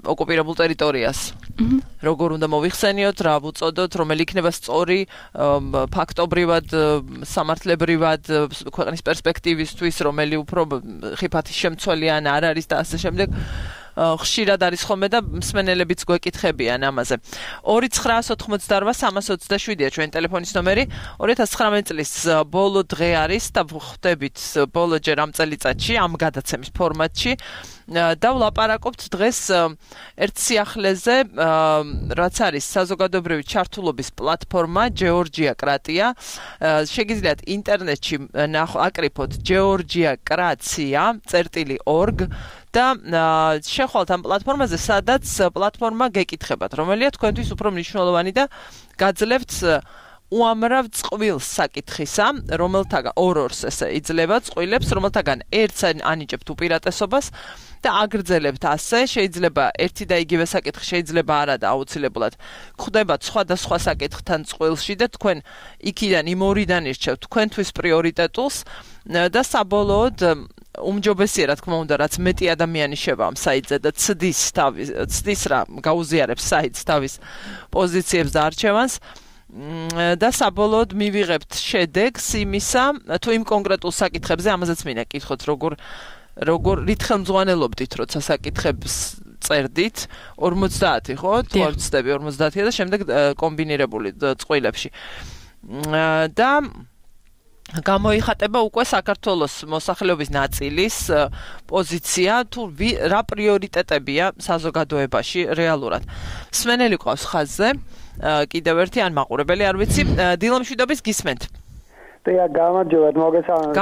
ოკუპირებულ ტერიტორიას. როგორ უნდა მოიხსენიოთ, რა ვუწოდოთ, რომელი იქნება სწორი ფაქტობრივად, სამართლებრივად, ქვეყნის პერსპექტივისთვის, რომელი უფრო ხიფათის შემცველია ან არ არის და ასე შემდეგ. ხშირად არის ხოლმე და მსმენელებიც გვეკითხებიან ამაზე. 2988-327-ია ჩვენ ტელეფონის ნომერი. 2019 წლის ბოლო დღე არის და ხვდებით ბოლოჯერ ამ წელიწადში ამ გადაცემის ფორმატში და ვლაპარაკობთ დღეს ერთ სიახლეზე, რაც არის საზოგადოებრივი ჩართულობის პლატფორმა Georgia Kratia. შეგიძლიათ ინტერნეტში აკრიფოთ georgiakratia.org და შეხვალთ ამ პლატფორმაზე, სადაც პლატფორმა გეკითხებათ, რომელია თქვენთვის უფრო მნიშვნელოვანი და გაძლევთ უამრავ წყვილს საკითხისა, რომელთაგან ორ-ორს ესე იძლევა წყვილებს, რომელთაგან ერთს ანიჭებთ უპირატესობას და აგრძელებთ ასე, შეიძლება ერთი და იგივე საკითხი შეიძლება არა და აუცილებლად ხვდებათ სხვადასხვა საკითხთან წყვილში და თქვენ იქიდან იმ ორიდან ირჩევთ თქვენთვის პრიორიტეტულს და საბოლოოდ უმჯობესია რა თქმა უნდა, რაც მეტი ადამიანი შევა ამ საიტზე და ცდის რა გაუზიარებს საიტს თავის პოზიციებს და არჩევანს და საბოლოოდ მივიღებთ შედეგს იმისა, თუ იმ კონკრეტულ საკითხებზე, ამაზეც მინდა კითხოთ, როგორ რით ხელმძღვანელობდით, როცა საკითხებს წერდით, 50 ხო? თუ არ ვცდები 50-ია და შემდეგ კომბინირებული წყვილებში. და გამოიხატება უკვე საქართველოს მოსახლეობის ნაწილის პოზიცია, თუ რა პრიორიტეტებია საზოგადოებაში რეალურად. მსმენელი ყავს ხაზზე. კიდევ ერთი ან მაყურებელი არ ვიცი, დილამშვიდობის გისმენთ. დია გამარჯობათ, მოგესალმებით.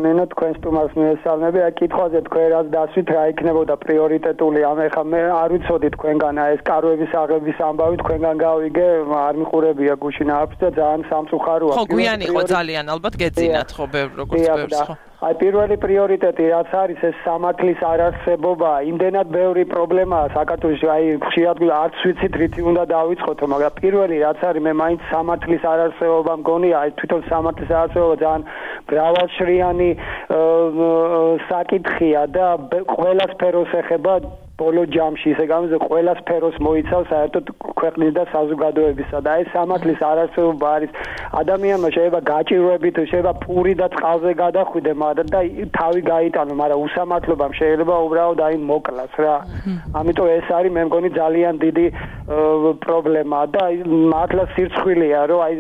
ნინო თქვენ სტუმარს მიესალმები. კითხვაზე თქვენ რაც დასვით რა იქნებოდა პრიორიტეტული, ეხლა მე არ ვიცოდი თქვენგან ეს კაროების აღების ამბავი თქვენგან გავიგე, არ მიყურებია გუშინ არც და ძალიან სამწუხაროა. ხო, გვიანი იყო ძალიან, ალბათ გეძინათ ხო როგორც ბევრს ხო. აი პირველი პრიორიტეტი რაც არის ეს სამართლის არარსებობა, იმდენად ბევრი პრობლემაა საქართველოში, აი ხშირად არც ვიცით რითი უნდა დავიწყოთ, მაგრამ პირველი რაც არის მე მაინც სამართლის არარსებობა მგონია, აი თვითონ სამართლის არარსებობა ძალიან მრავალშრიანი საკითხია და ყველა სფეროს ეხება ბოლო ჯამში, ისე გამიზე ყველა სფეროს მოიცავს საერთოდ ქვეყნის და საზოგადოებისა და ეს სამართლის არარსებობა არის ადამიანმა შეიძლება გაჭირვებით, შეიძლება პური და წყალზე გადახვიდე, მაგრამ და თავი გაიტანო, მაგრამ უსამართლობამ შეიძლება უბრალოდ აი მოკლას რა. ამიტომ ეს არის მე მგონი ძალიან დიდი პრობლემა და მართლა სირცხვილია, რომ აი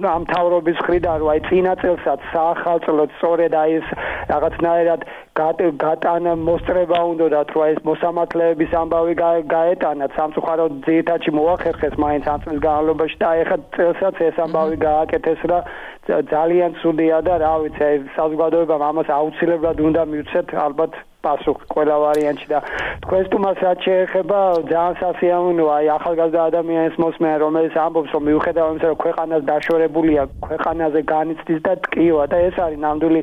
ამ თავრობის მხრიდან რომ აი წინა წელსაც საახალწლოდ სწორედ აი ეს რაღაცნაირად გატანა მოსწრება უნდათ, რომ ეს მოსამართლეების ამბავი გაეტანათ, სამწუხაროდ ძირითადში მოახერხეს მაინც ამ წლის განმავლობაში და ეხლა წელსაც ეს ამბავი გააკეთეს რა ძალიან ცუდია და რა ვიცი, აი საზოგადოებამ ამას აუცილებლად უნდა მივცეთ ალბათ პასუხი ყველა ვარიანტში და თქვენ სტუმარს რაც შეეხება ძალიან სასიამოვნოა აი ახალგაზრდა ადამიანის მოსმენა რომელიც ამბობს რომ მიუხედავად იმისა რომ ქვეყანას დაშორებულია ქვეყანაზე განიცდის და ტკივა და ეს არის ნამდვილი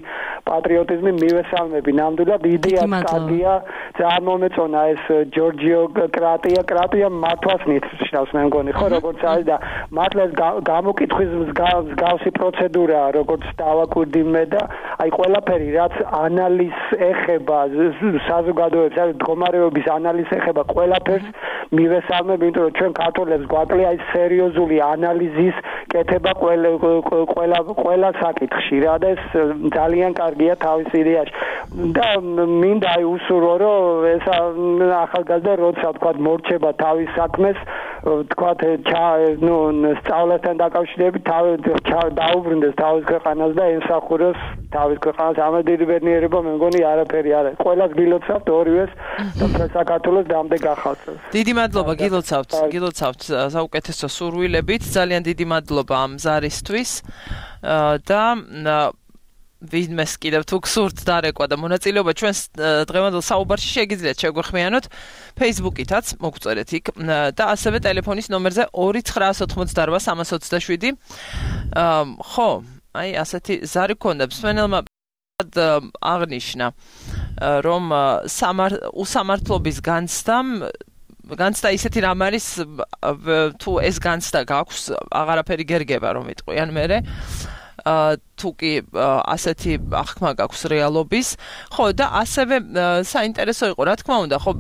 პატრიოტიზმი მივესალმები ნამდვილად იდეა კარგია ძალიან მომეწონა ეს Georgiocratia მართვას ნიშნავს მე მგონი ხო როგორც არის და მართლა გამოკითხვის მსგავსი პროცედურაა როგორც დავაკვირდი მე და აი ყველაფერი რაც ანალიზს ეხება საზოგადოების არის მდგომარეობის ანალიზს ეხება ყველაფერს მივესალმები იმიტომ რომ ჩვენ ქართველებს გვაკლია აი სერიოზული ანალიზის კეთება ყველა საკითხში რა და ეს ძალიან კარგია თავის იდეაში და მინდა აი უსურო რომ ეს ახალგაზრდა როცა თქვა მორჩება თავის საქმეს თქვა სწავლასთან დაკავშირებით დაუბრუნდეს თავის ქვეყანას და ემსახუროს თავის ქვეყანას ამაზე დიდი ბედნიერება მე მგონი არაფერი არ არის ყველას გილოცავთ ორივეს და საქართველოს დამდეგ ახალწელს დიდი მადლობა გილოცავთ საუკეთესო სურვილებით ძალიან დიდი მადლობა ამ ზარისთვის და ვინმეს კიდევ თუ გსურთ დარეკვა და მონაწილეობა ჩვენს დღევანდელ საუბარში შეგიძლიათ შეგვეხმიანოთ Facebook-ითაც მოგწერეთ იქ და ასევე ტელეფონის ნომერზე 2988-327 ხო აი ასეთი ზარი გქონდა მსმენელმა აღნიშნა რომ უსამართლობის განცდა ისეთი რამ არის თუ ეს განცდა გაქვს აღარაფერი გერგება რომ იტყვიან მერე თუ კი ასეთი აღქმა გაქვს რეალობის ხო და ასევე საინტერესო იყო რა თქმა უნდა ხო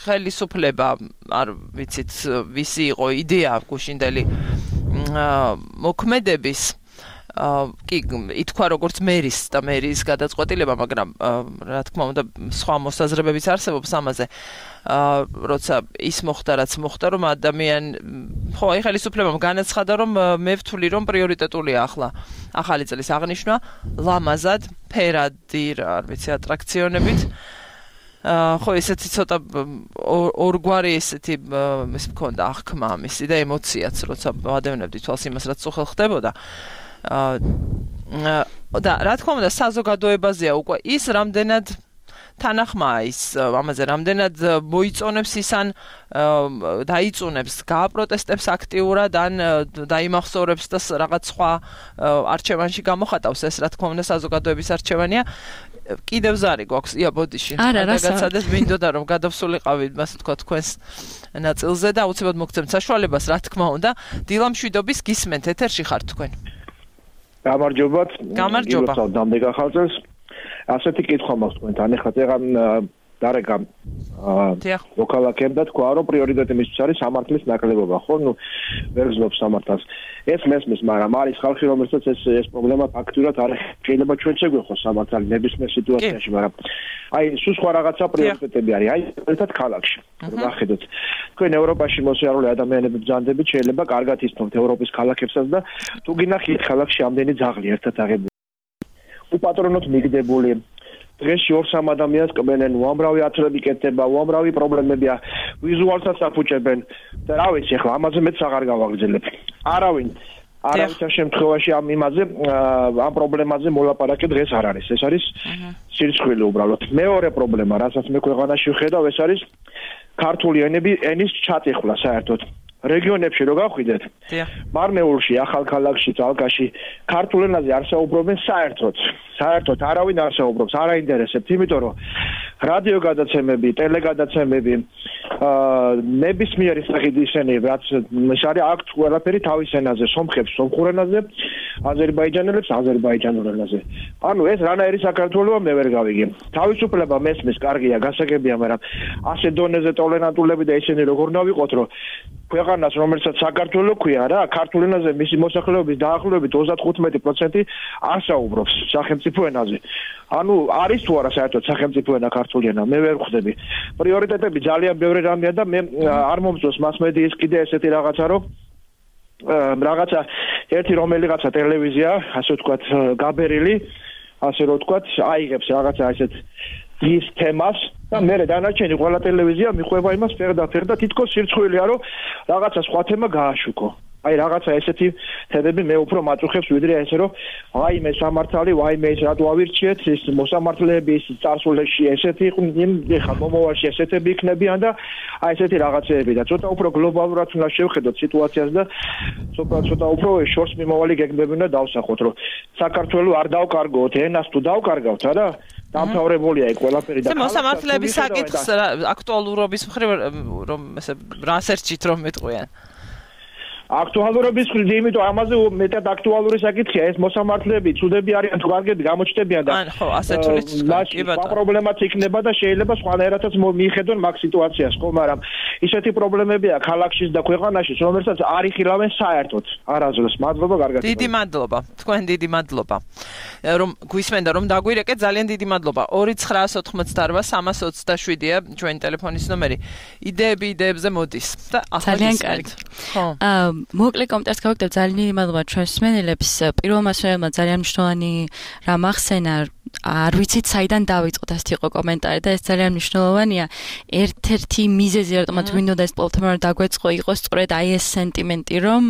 ხელისუფლება არ ვიცით ვისი იყო იდეა გუშინდელი მოქმედების კი ითქვა როგორც მერის და მერის გადაწყვეტილება, მაგრამ რა თქმა უნდა სხვა მოსაზრებებიც არსებობს ამაზე. როცა ის მოხდა, რაც მოხდა, რომ ხო, აი ხელისუფლებამ განაცხადა, რომ მე ვთვლი, რომ პრიორიტეტულია ახლა ახალი წლის აღნიშვნა, ლამაზად, ფერადი, არ ვიცი, ატრაქციონებით. ხო, ესეთი ცოტა ორგვარი ესეთი ის მქონდა აღქმა ამისი და ემოციაც, როცა ვადევნებდი თვალს იმას, რაც უხელ ხდებოდა. და რა თქმა უნდა, საზოგადოებაზეა უკვე ის რამდენად თანახმაა ის ამაზე, რამდენად მოიწონებს ის ან დაიწუნებს, გააპროტესტებს აქტიურად ან დაიმახსოვრებს და რაღაც სხვა არჩევანში გამოხატავს, ეს რა თქმა უნდა საზოგადოების არჩევანია. კიდევ ზარი გვაქვს, ბოდიში. გადაგაცადეთ, მინდოდა რომ გადავსულიყავი, ასე თქვა, თქვენს ნაწილზე და აუცილებლად მოგცემთ საშუალებას, რა თქმა უნდა, დილამშვიდობის გისმენთ, ეთერში ხართ თქვენ. გამარჯობათ. გამარჯობა. დამდე გახალწელს. ასეთი კითხვა მაქვს თქვენთან. ეხლა წეგან დარეგამ მოქალაქემ და თქვა რომ პრიორიტეტი მისთვის არის სამართლის ნაკლებობა, ხო? ნუ ვერ გზნობს სამართალს. ეს მესმის, მაგრამ არის ხალხი, რომელსაც ეს პრობლემა ფაქტურად არ შეიძლება ჩვენც შეგვეხოს სამართალი ნებისმიერ სიტუაციაში, მაგრამ აი სულ სხვა რაღაცა პრიორიტეტები არის. აი ერთად ქალაქში. ვახედოთ. თქვენ ევროპაში მოსიარულე ადამიანები ბრძანდებით, შეიძლება კარგად ისწავლოთ ევროპის ქალაქებსაც და თუ გინახით ქალაქში ამდენი ძაღლი ერთად აღებული. უპატრონოთ მიგდებული. დღეში 2-3 ადამიანს კმენენ, უამრავი ათლები კეთდება, უამრავი პრობლემებია, ვიზუალსაც აფუჭებენ და რა ვიცი, ახლა ამაზე მეც აღარ გავაგრძელებ. არავინ შემთხვევაში ამ პრობლემაზე მოლაპარაკე დღეს არ არის. ეს არის სირცხვილი უბრალოდ. მეორე პრობლემა, რასაც მე ქვეყანაში ვხედავ, ეს არის ქართული ენის ჩატეხვა საერთოდ. რეგიონებში რო გავხვიდეთ, მარმეულში, ახალქალაქში, ძალკაში ქართულ ენაზე არ საუბრობენ საერთოდ არავინ არ საუბრობს, არ აინტერესებთ, იმიტომ რომ რადიო გადაცემები, ტელეგადაცემები, ნებისმიერი სახით ისინი, რაც ეს არის აქ ყველაფერი თავის ენაზე, სომხებს სომხურ ენაზე, აზერბაიჯანელებს აზერბაიჯანურ ენაზე. ანუ ეს რანაირი საქართველოა მე ვერ გავიგე. თავისუფლება მესმის, კარგია, გასაგებია, მაგრამ ასე დონეზე ტოლერანტულები და ისინი როგორ ნავიყოთ, რომ ქვეყანას, რომელსაც საქართველო ქვია რა, ქართულ ენაზე მისი მოსახლეობის დაახლოებით 35% არ საუბრობს სახელმწიფო ენაზე. ანუ არის თუ არა საერთოდ სახელმწიფო ენა ქართული ენა, მე ვერ ვხვდები. პრიორიტეტები ძალიან ბევრი რამეა და მე არ მომწონს მასმედიის კიდე ესეთი რაღაცა, რომ რაღაცა ერთი რომელიღაცა ტელევიზია, ასე ვთქვათ, გაბერილი, ასე რომ ვთქვათ, აიღებს რაღაცა ესეთ ის თემას და მე დანარჩენი ყველა ტელევიზია მიყვება იმას ფერდა თითქოს სირცხვილია რომ რაღაცა სხვა თემა გააშუქო. აი რაღაცა ესეთი თემები მე უფრო მაწუხებს ვიდრე ესე რომ ვაიმე სამართალი, ვაიმე ეს რატო ავირჩიეთ, ეს მოსამართლეები ის წარსულში ესეთი იყვნენ, ეხლა მომავალში ესეთები იქნებიან და აი ესეთი რაღაცეები და ცოტა უფრო გლობალურად უნდა შევხედოთ სიტუაციას და ცოტა უფრო შორს მიმავალი გეგმები უნდა დავსახოთ, რომ საქართველოს არ დავკარგოთ, ენას თუ დავკარგავთ, არა? დამთავრებულია იქ ყველაფერი და მოსამართლეების საკითხს აქტუალურობის მხრივ რომ ესე რას ერჩით რომ მეტყვიან. აქტუალურობის მხრივ, იმიტომ ამაზე მეტად აქტუალური საკითხია, ეს მოსამართლეები ცუდები არიან თუ კარგები გამოჩნდებიან და ხო, ასე თulit კი ბატონო. პრობლემაც იქნება და შეიძლება სხვანაირადაც მიხედონ მაგ სიტუაციას, ხო, მაგრამ ისეთი პრობლემებია ქალაქშიც და ქვეყანაშიც, რომელსაც არ იხილავენ საერთოდ. არასდროს. მადლობა, კარგად. დიდი მადლობა. თქვენ დიდი მადლობა. რომ გვისმენდა რომ დაგვირეკეთ, ძალიან დიდი მადლობა. 2988327-ია ჩვენი ტელეფონის ნომერი. იდეებზე მოდის და ახლა ძალიან კარგი. ხო. მოკლე კომენტარს გავაკეთებ, ძალიან დიდი მადლობა ჩვენს მსმენელებს. პირველმა მსმენელმა ძალიან მნიშვნელოვანი რამ ახსენა, არ ვიცით საიდან დავიწყოთ, ასეთი იყო კომენტარი და ეს ძალიან მნიშვნელოვანია. ერთ-ერთი მიზეზი რატომაც გვინდოდა ეს პლატფორმა დაგვეწყო იყო სწორედ აი ეს სენტიმენტი, რომ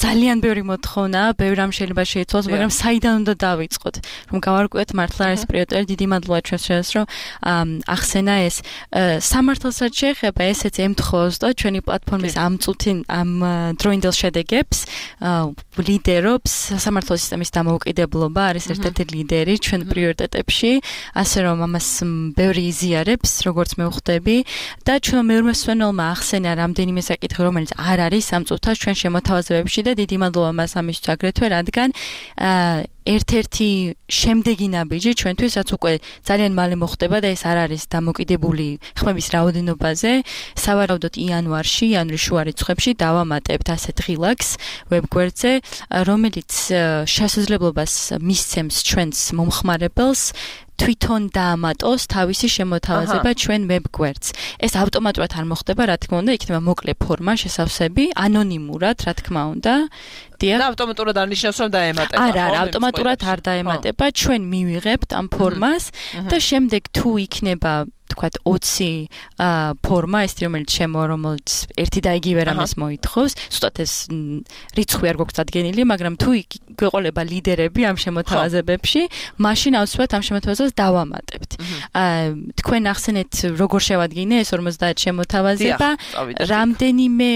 ძალიან ბევრი მოთხოვნა, ბევრი რამ შეიძლება შეიცვალოს, მაგრამ საიდან უნდა დავიწყოთ, რომ გავარკვიოთ მართლა ეს პრიორიტეტი. დიდი მადლობა ჩვენს შენს, რომ ახსენა ეს სამართალსაც შეეხება, ესეც ემთხოვს და ჩვენი პლატფორმის ამ წუთին ამ დროინდელ შედეგებს ლიდერობს სამართალ სისტემის დამოუკიდებლობა, არის ერთ-ერთი ლიდერი ჩვენ პრიორიტეტებში, ასე რომ ამას ბევრი იზიარებს, როგორც მე ვხვდები და ჩვენ მეორე მსმენელმა ახსენა რამდენიმე საკითხი, რომელიც არ არის ამ წუთას ჩვენ შემოთავაზებებში და დიდი მადლობა მას ამისთვის აგრეთვე, რადგან ერთ-ერთი შემდეგი ნაბიჯი ჩვენთვის, რაც უკვე ძალიან მალე მოხდება და ეს არ არის დამოკიდებული ხმების რაოდენობაზე. სავარაუდოდ იანვარში, იანვრის შუა რიცხვებში დავამატებთ ასეთ ღილაკს ვებგვერდზე, რომელიც შესაძლებლობას მისცემს ჩვენს მომხმარებელს თვითონ დაამატოს თავისი შემოთავაზება ჩვენ ვებგვერდს. ეს ავტომატურად არ მოხდება, რა თქმა უნდა, იქნება მოკლე ფორმა, შესავსები, ანონიმურად, რა თქმა უნდა. და ავტომატურად არ ნიშნავს, რომ დაემატება. არა, ავტომატურად არ დაემატება, ჩვენ მივიღებთ ამ ფორმას და შემდეგ თუ იქნება თქვათ 20 ფორმა, ეს რომელიც რომელიც ერთი და იგივე რამეს მოითხოვს, ზუსტად ეს რიცხვი არ გვაქვს დადგენილი, მაგრამ თუ გვეყოლება ლიდერები ამ შემოთავაზებებში, მაშინ აუცილებლად ამ შემოთავაზებას დავამატებთ. თქვენ ახსენეთ, როგორ შევადგინე ეს 50 შემოთავაზება, რამდენიმე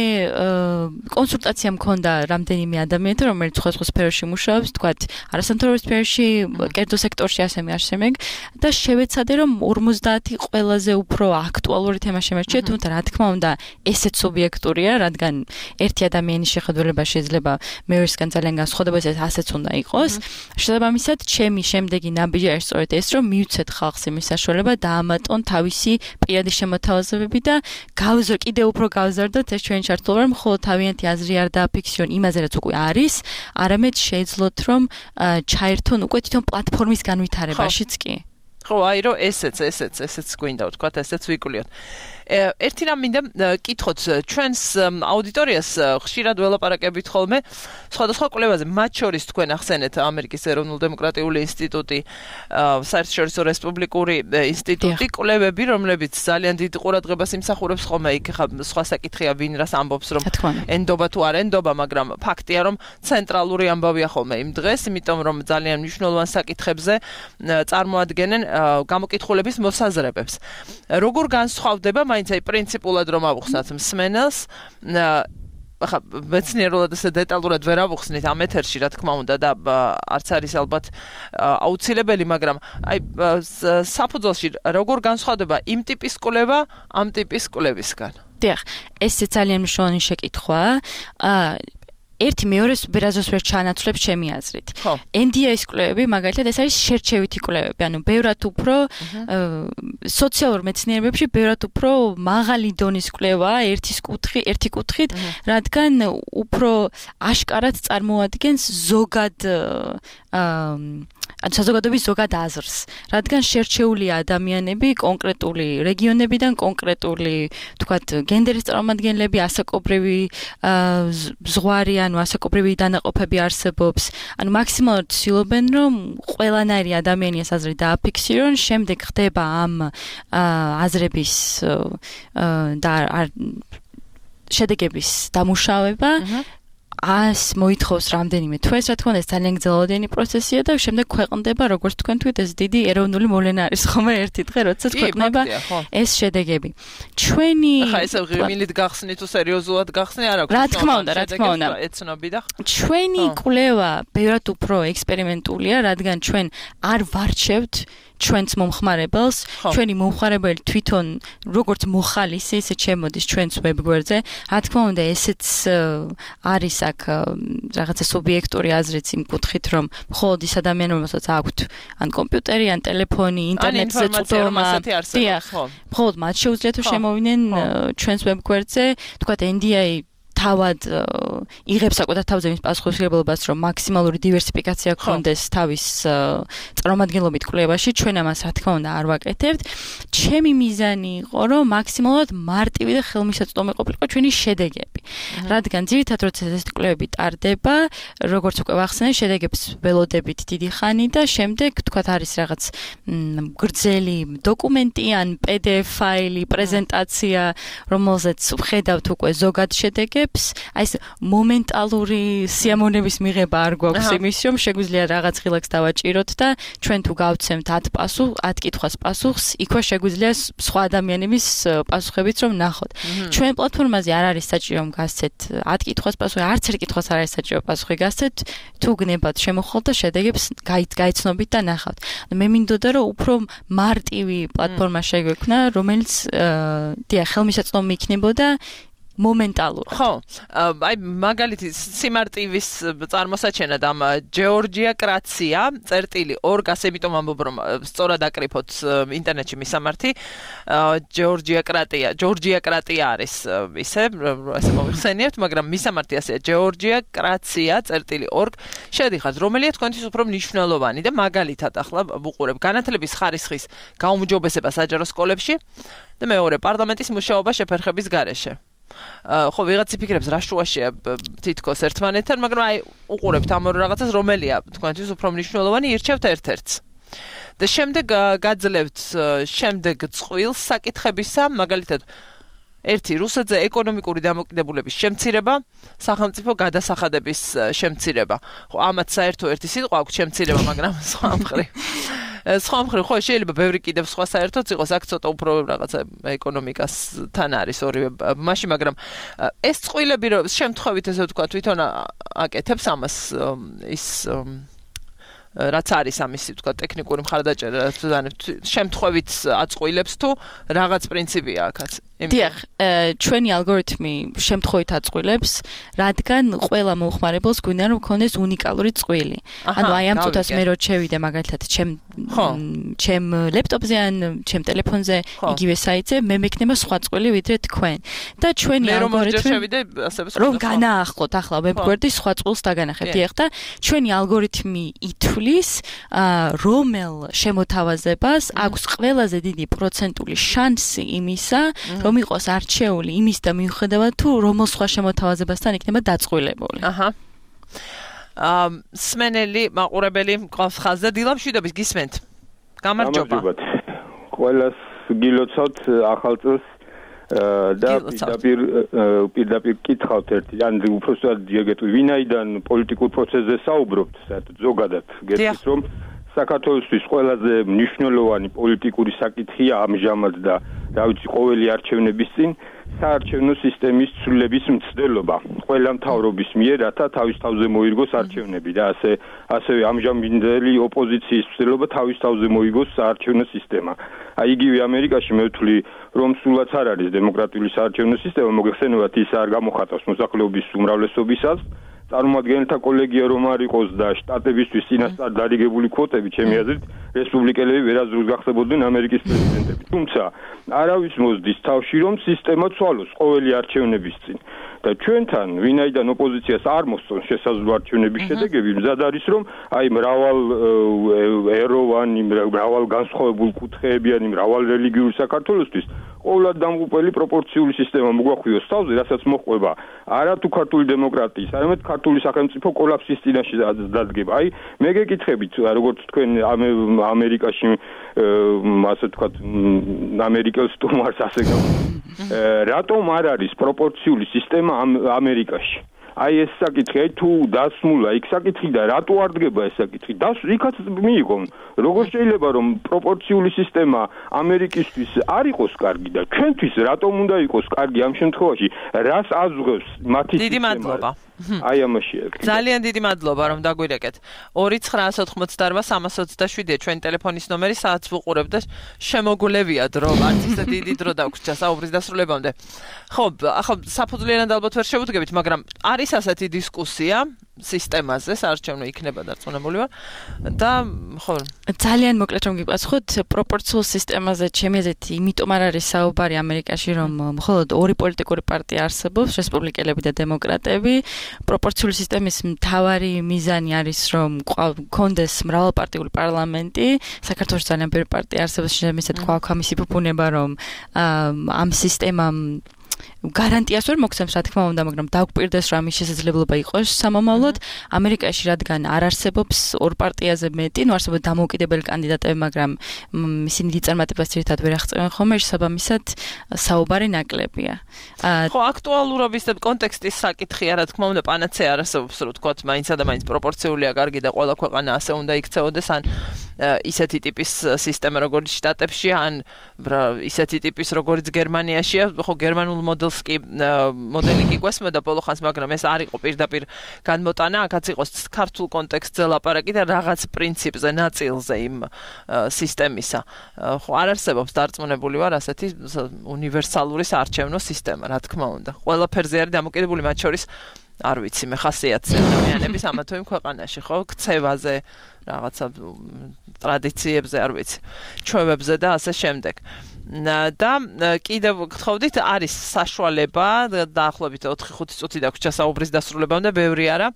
კონსულტაცია მქონდა რამდენიმე ადამიანთან, რომელიც სხვა სფეროში მუშაობს, თქვათ არასამთავრობო სფეროში, კერძო სექტორში ასემე და შევეცადე რომ 50 ყველაზე უფრო აქტუალური თემა შემერჩიე, თუმცა რა თქმა უნდა, ესეც სუბიექტურია, რადგან ერთი ადამიანის შეხედულება შეიძლება მეორესგან ძალიან განსხვავდება, ეს ასეც უნდა იყოს. შესაბამისად, ჩემი შემდეგი ნაბიჯი არის სწორედ ეს, რომ მივცეთ ხალხს იმის საშუალება დაამატონ თავისი პირადი შემოთავაზებები და კიდევ უფრო გავზარდოთ ეს ჩვენი ჩართულობა, რომ მხოლოდ თავიანთი აზრი არ დააფიქსირონ იმაზე, რაც უკვე არის, არამედ შეეძლოთ, რომ ჩაერთონ უკვე თვითონ პლატფორმის განვითარებაშიც კი. ხო, აი რომ ესეც გვინდა ვთქვა, ესეც ვიკულიოთ. ერთი რამ მინდა კითხოთ ჩვენს აუდიტორიას ხშირად ველაპარაკებით ხოლმე სხვადასხვა კვლევაზე, მათ შორის თქვენ ახსენეთ ამერიკის ეროვნულ-დემოკრატიული ინსტიტუტი, საერთაშორისო რესპუბლიკური ინსტიტუტი, კვლევები, რომლებიც ძალიან დიდ ყურადღებას იმსახურებს ხოლმე, იქ ხა სხვა საკითხია, ვინ რას ამბობს, რომ ენდობა თუ არ ენდობა, მაგრამ ფაქტია, რომ ცენტრალური ამბავია ხოლმე იმ დღეს, იმიტომ რომ ძალიან მნიშვნელოვან საკითხებზე წარმოადგენენ გამოკითხულების მოსაზრებებს. როგორ განსხვავდება მაინც აი პრინციპულად რომ ავუხსნათ მსმენელს, ახლა მეცნიერულად ესე დეტალურად ვერ ავუხსნით ამ ეთერში, რა თქმა უნდა და არც არის ალბათ აუცილებელი, მაგრამ აი საფუძველში როგორ განსხვავდება იმ ტიპის კვლევა ამ ტიპის კვლევისგან? დიახ, ეს ძალიან მნიშვნელოვანი შეკითხვაა. ერთი მეორეს ბერაზოს ვერ ჩაანაცვლებს ჩემი აზრით. NDI-ის კვლევები, მაგალითად, ეს არის შერჩევითი კვლევები, ანუ ბევრად უფრო სოციალურ მეცნიერებებში ბევრად უფრო მაღალი დონის კვლევაა ერთი კუთხით, რადგან უფრო აშკარად წარმოადგენს ზოგად საზოგადოების ზოგად აზრს, რადგან შერჩეული ადამიანები კონკრეტული რეგიონებიდან, კონკრეტული, თქვათ, გენდერის წარმომადგენლები, ასაკობრივი ზღვარი, ანუ ასაკობრივი დანაყოფები არსებობს, ანუ მაქსიმალურად ცდილობენ, რომ ყველანაირი ადამიანის აზრი დააფიქსირონ, შემდეგ ხდება ამ აზრების და შედეგების დამუშავება. მოითხოვს რამდენიმე თვეს, რა თქმა უნდა, ეს ძალიან გრძელვადიანი პროცესია და შემდეგ ქვეყნდება, როგორც თქვენ თქვით, ეს დიდი ეროვნული მოვლენა არის ხომ ერთი დღე, როდესაც ქვეყნდება ეს შედეგები. ჩვენი ახლა ესე ღიმილით გახსნით თუ სერიოზულად გახსნი არ აქვს. რა თქმა უნდა, ეცნობი და ჩვენი კვლევა ბევრად უფრო ექსპერიმენტულია, რადგან ჩვენ არ ვარჩევთ ჩვენს მომხმარებელს, ჩვენი მომხმარებელი თვითონ როგორც მოხალისი, ისე შემოდის ჩვენს ვებგვერდზე. რა თქმა უნდა, ესეც არის აქ რაღაცა სუბიექტური აზრიც იმ კუთხით, რომ მხოლოდ ის ადამიანები, რომელსაც აქვთ ან კომპიუტერი, ან ტელეფონი, ინტერნეტზე წვდომა, მხოლოდ მათ შეუძლიათ რომ შემოვიდნენ ჩვენს ვებგვერდზე, თქვათ NDI თავად იღებს საკუთარ თავზე იმის პასუხისმგებლობას, რომ მაქსიმალური დივერსიფიკაცია გქონდეს თავის წარმომადგენლობით კვლევაში, ჩვენ ამას რა თქმა უნდა არ ვაკეთებთ. ჩემი მიზანი იყო, რომ მაქსიმალურად მარტივი და ხელმისაწვდომი ყოფილიყო ჩვენი შედეგები. რადგან ძირითადად როცა ეს კვლევები ტარდება, როგორც უკვე ვახსენე, შედეგებს ველოდებით დიდი ხანი და შემდეგ თქვათ არის რაღაც გრძელი დოკუმენტი ან PDF ფაილი, პრეზენტაცია, რომელზეც ვხედავთ უკვე ზოგად შედეგებს. აი ეს მომენტალური სიამოვნების მიღება არ გვაქვს იმის, რომ შეგვიძლია რაღაც ღილაკს დავაჭიროთ და ჩვენ თუ გავცემთ 10 კითხვას პასუხს, იქვე შეგვიძლია სხვა ადამიანების პასუხებიც რომ ნახოთ. ჩვენ პლატფორმაზე არ არის საჭირო რომ გასცეთ 10 კითხვას პასუხი, არც ერთ კითხვას არ არის საჭირო პასუხი გასცეთ, თუ გნებათ შემოხვალ და შედეგებს გაიცნობით და ნახავთ. მე მინდოდა რომ უფრო მარტივი პლატფორმა შეგვექმნა, რომელიც ხელმისაწვდომი იქნებოდა მომენტალურად. ხო, აი მაგალითი სიმარტივის წარმოსაჩენად ამ ჯეორჯია კრაცია წერტილი 2 იმიტომ ამბობ რომ სწორად აკრიფოთ ინტერნეტში მისამართი ჯეორჯია კრატია არის ისე მოვიხსენიებთ, მაგრამ მისამართი ასეა ჯეორჯია კრაცია წერტილი 2 შედიხართ, რომელია თქვენთვის უფრო მნიშვნელოვანი და მაგალითად ახლა ვუყურებ განათლების ხარისხის გაუმჯობესება საჯარო სკოლებში და მეორე პარლამენტის მუშაობა შეფერხების გარეშე. ხო, ვიღაც იფიქრებს რა შუაშია თითქოს ერთმანეთთან, მაგრამ აი უყურებთ ამ ორ რაღაცას, რომელია თქვენთვის უფრო მნიშვნელოვანი, ირჩევთ ერთ-ერთს. და შემდეგ გაძლევთ შემდეგ წყვილს საკითხებისა, მაგალითად ერთი რუსეთზე ეკონომიკური დამოკიდებულების შემცირება, სახელმწიფო გადასახადების შემცირება. ხო, ამათ საერთო ერთი სიტყვა აქვს შემცირება, მაგრამ სხვა მხრივ ხო შეიძლება ბევრი კიდევ სხვა საერთოც იყოს, აქ ცოტა უფრო რაღაცა ეკონომიკასთან არის ორივე მასში, მაგრამ ეს წყვილები რომ შემთხვევით ესე ვთქვა თვითონ აკეთებს ამას ის რაც არის ამისი ვთქვა ტექნიკური მხარდაჭერა შემთხვევით აწყვილებს თუ რაღაც პრინციპია აქაც. დიახ, ჩვენი ალგორითმი შემთხვევით აწყვილებს, რადგან ყველა მოხმარებელს გვინდა რომ ქონდეს უნიკალური წყვილი. ანუ აი ამ წუთას მე რო შევიდე მაგალითად ჩემ ლეპტოპზე ან ჩემ ტელეფონზე იგივე საიტზე, მე მექნება სხვა წყვილი ვიდრე თქვენ. და ჩვენი ალგორითმი რომ განაახლოთ ახლა ვებგვერდი სხვა წვილს დაგანახებთ. დიახ, და ჩვენი ალგორითმი ითვლის რომელ შემოთავაზებას აქვს ყველაზე დიდი პროცენტული შანსი იმისა, რომ იყოს არჩეული იმის და მიუხედავად თუ რომელ სხვა შემოთავაზებასთან იქნება დაწყვილებული. აჰა. სმენელი მაყურებელი მყავს ხაზზე დილამშვიდობის გისმენთ. გამარჯობა. ყველას გილოცავთ ახალ წელს და პირდაპირ კითხავთ ერთი ან უბრალოდ დიაგეტყვი ვინაიდან პოლიტიკურ პროცესზე საუბრობთ საერთოდ ზოგადად გეტყვით რომ საქართველოსთვის ყველაზე მნიშვნელოვანი პოლიტიკური საკითხია ამჟამად და რა ვიცი ყოველი არჩევნების წინ საარჩევნო სისტემის ცვლილების მცდელობა ყველა მთავრობის მიერ რათა თავის თავზე მოირგოს არჩევნები და ასევე ამჟამინდელი ოპოზიციის მცდელობა თავის თავზე მოიგოს საარჩევნო სისტემა. აი იგივე ამერიკაში მე ვთვლი რომ სულაც არ არის დემოკრატიული საარჩევნო სისტემა, მოგეხსენებათ ის არ გამოხატავს მოსახლეობის უმრავლესობისას. წარმომადგენელთა კოლეგია რომ არ იყოს და შტატებისთვის წინასწარ დარიგებული კვოტები, ჩემი აზრით, რესპუბლიკელები ვერასდროს გახდებოდნენ ამერიკის პრეზიდენტები. თუმცა არავის მოსდის თავში რომ სისტემა ცვალოს ყოველი არჩევნების წინ. და ჩვენთან ვინაიდან ოპოზიციას არ მოსწონს შესაძლო არჩევნების შედეგები, მზად არის რომ აი მრავალ ეროვანი, მრავალ განსხვავებულ კუთხეებიანი, მრავალ რელიგიურ საქართველოსთვის ყოველად დამღუპელი პროპორციული სისტემა მოგვახვიოს თავზე, რასაც მოჰყვება არა თუ ქართული დემოკრატიის, არამედ ქართული სახელმწიფო კოლაფსის წინაშე დადგება. აი, მე გეკითხებით, როგორც თქვენ ამერიკაში, ასე ვთქვათ, ამერიკელ სტუმარს ასე რატომ არ არის პროპორციული სისტემა ამერიკაში? აი ეს საკითხი, აი თუ დასმულა იქ საკითხი და რატო არ დგება ეს საკითხი? იქაც მიიღონ. როგორ შეიძლება რომ პროპორციული სისტემა ამერიკისთვის არ იყოს კარგი და ჩვენთვის რატომ უნდა იყოს კარგი ამ შემთხვევაში? რას აზღვევს მათი დიდი მადლობა. აი ამაშია. ძალიან დიდი მადლობა რომ დაგვირეკეთ. 2998327 ჩვენი ტელეფონის ნომერი, სადაც ვუყურებ და შემოგულევია დრო, არც ისე დიდი დრო დაგვრჩა საუბრის დასრულებამდე. ხო, ახლა საფუძვლიანად ალბათ ვერ შევუდგებით, მაგრამ არის ასეთი დისკუსია სისტემაზე, საარჩევნო იქნება დარწმუნებული ვარ და ხო ძალიან მოკლედ რომ გიპასუხოთ, პროპორციულ სისტემაზე ჩემი აზრით იმიტომ არ არის საუბარი ამერიკაში, რომ მხოლოდ ორი პოლიტიკური პარტია არსებობს, რესპუბლიკელები და დემოკრატები. პროპორციული სისტემის მთავარი მიზანი არის, რომ გქონდეს მრავალპარტიული პარლამენტი. საქართველოს ძალიან ბევრი პარტია არსებობს, შემიძლია თქვა ამისი ფუფუნება, რომ ამ სისტემამ გარანტიას ვერ მოგცემს, რა თქმა უნდა, მაგრამ დაგვპირდეს რომ ამის შესაძლებლობა იყოს სამომავლოდ. ამერიკაში რადგან არ არსებობს ორ პარტიაზე მეტი, არსებობს დამოუკიდებელი კანდიდატები, მაგრამ ისინი დიწარმატებას ერთად ვერ აღწევენ ხოლმე, შესაბამისად საუბარი ნაკლებია. ხო, აქტუალურობის და კონტექსტის საკითხია, რა თქმა უნდა, პანაცეა არ არსებობს, რომ ვთქვათ, მაინც და მაინც პროპორციულია კარგი და ყველა ქვეყანა ასე უნდა იქცეოდეს, ან ისეთი ტიპის სისტემა, როგორც შტატებში, ან ისეთი ტიპის, როგორც გერმანიაშია, ხო, გერმანულ მოდელი კი გვესმოდა ბოლო ხანს, მაგრამ ეს არ იყო პირდაპირ განმოტანა, აქაც იყოს ქართულ კონტექსტზე ლაპარაკი და რაღაც პრინციპზე, ნაწილზე იმ სისტემისა. ხო, არ არსებობს დარწმუნებული ვარ ასეთი უნივერსალური საარჩევნო სისტემა, რა თქმა უნდა. ყველაფერზე არის დამოკიდებული, მათ შორის არ ვიცი, მე ხასიათზე ადამიანების ამა თუ იმ ქვეყანაში, ხო, ქცევაზე, რაღაცა ტრადიციებზე, არ ვიცი, ჩვევებზე და ასე შემდეგ. და კიდევ გთხოვდით, არის საშუალება დაახლოებით 4-5 წუთი დაგვჭირდა საუბრის დასრულებამდე, ბევრი არა,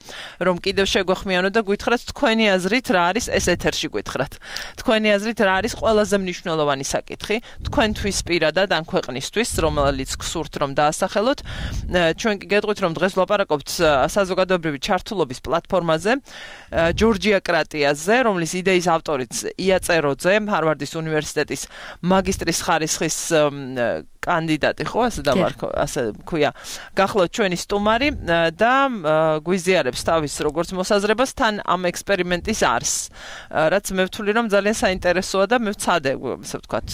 რომ კიდევ შეგვეხმიანოთ და გითხრათ თქვენი აზრით რა არის ეს ეთერში გითხრათ. თქვენი აზრით რა არის ყველაზე მნიშვნელოვანი საკითხი თქვენთვის პირადად ან ქვეყნისთვის, რომელიც გსურთ რომ დაასახელოთ. ჩვენ კი გეტყვით რომ დღეს ვლაპარაკობთ საზოგადოებრივი ჩართულობის პლატფორმაზე, ჯორჯიაკრატიაზე, რომლის იდეის ავტორიც ია წეროძე, ჰარვარდის უნივერსიტეტის მაგისტრის ხარისხის კანდიდატი, ხო, ასე ქვია, გახლავთ ჩვენი სტუმარი და გვიზიარებს თავის როგორც მოსაზრებას თან ამ ექსპერიმენტის არს, რაც მე ვთვლი რომ ძალიან საინტერესოა და მე ვცადე, ასე ვთქვათ,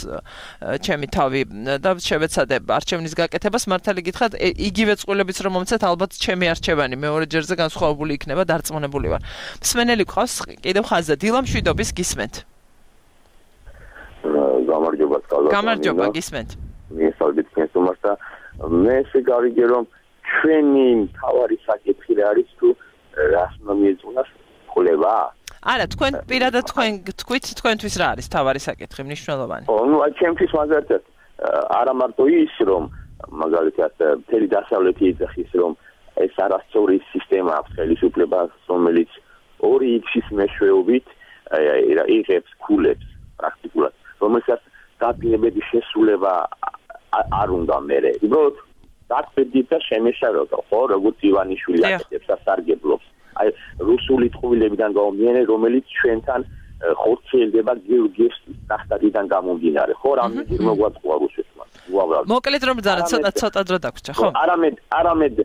ჩემი თავი და შევეცადე არჩევნის გაკეთებას, მართალი გითხრათ, იგივე წყვილებიც რომ მომცეთ, ალბათ ჩემი არჩევანი მეორე ჯერზე განსხვავებული იქნება, დარწმუნებული ვარ. მსმენელი გყავს კიდევ ხაზზე, დილა მშვიდობის გისმენთ. გამარჯობა, გისმენთ. მიესალმებით თქვენს სტუმარს და მე ესე გავიგე რომ ჩვენი მთავარი საკითხი რა არის თუ რას მომიეწონას ყოლება? არა, თქვენ პირადად თქვენ თქვით თქვენთვის რა არის მთავარი საკითხი, მნიშვნელოვანი? ნუ ჩემთვის მაგალითად არა მარტო ის რომ მაგალითად მთელი დასავლეთი ეძახის რომ ეს არასწორი სისტემა აქვს ხელისუფლებას, რომელიც 2x-ის მეშვეობით იღებს ქულებს პრაქტიკულად, რომელსაც დაპირებების შესრულება არ უნდა მერე. უბრალოდ დაწვდით და შემეშაროთ, ხო, როგორც ივანიშვილი აკეთებს ასარგებლობს. აი რუსული ტყუილებიდან გამომდინარე, რომელიც ჩვენთან ხორციელდება გიორგიევს ტახტიდან გამომდინარე, ხო, რამდენი მოგვაწყვა რუსეთმა. უბრალოდ. მოკლედ რომ ცოტა დრო დაგვრჩა, ხო? არამედ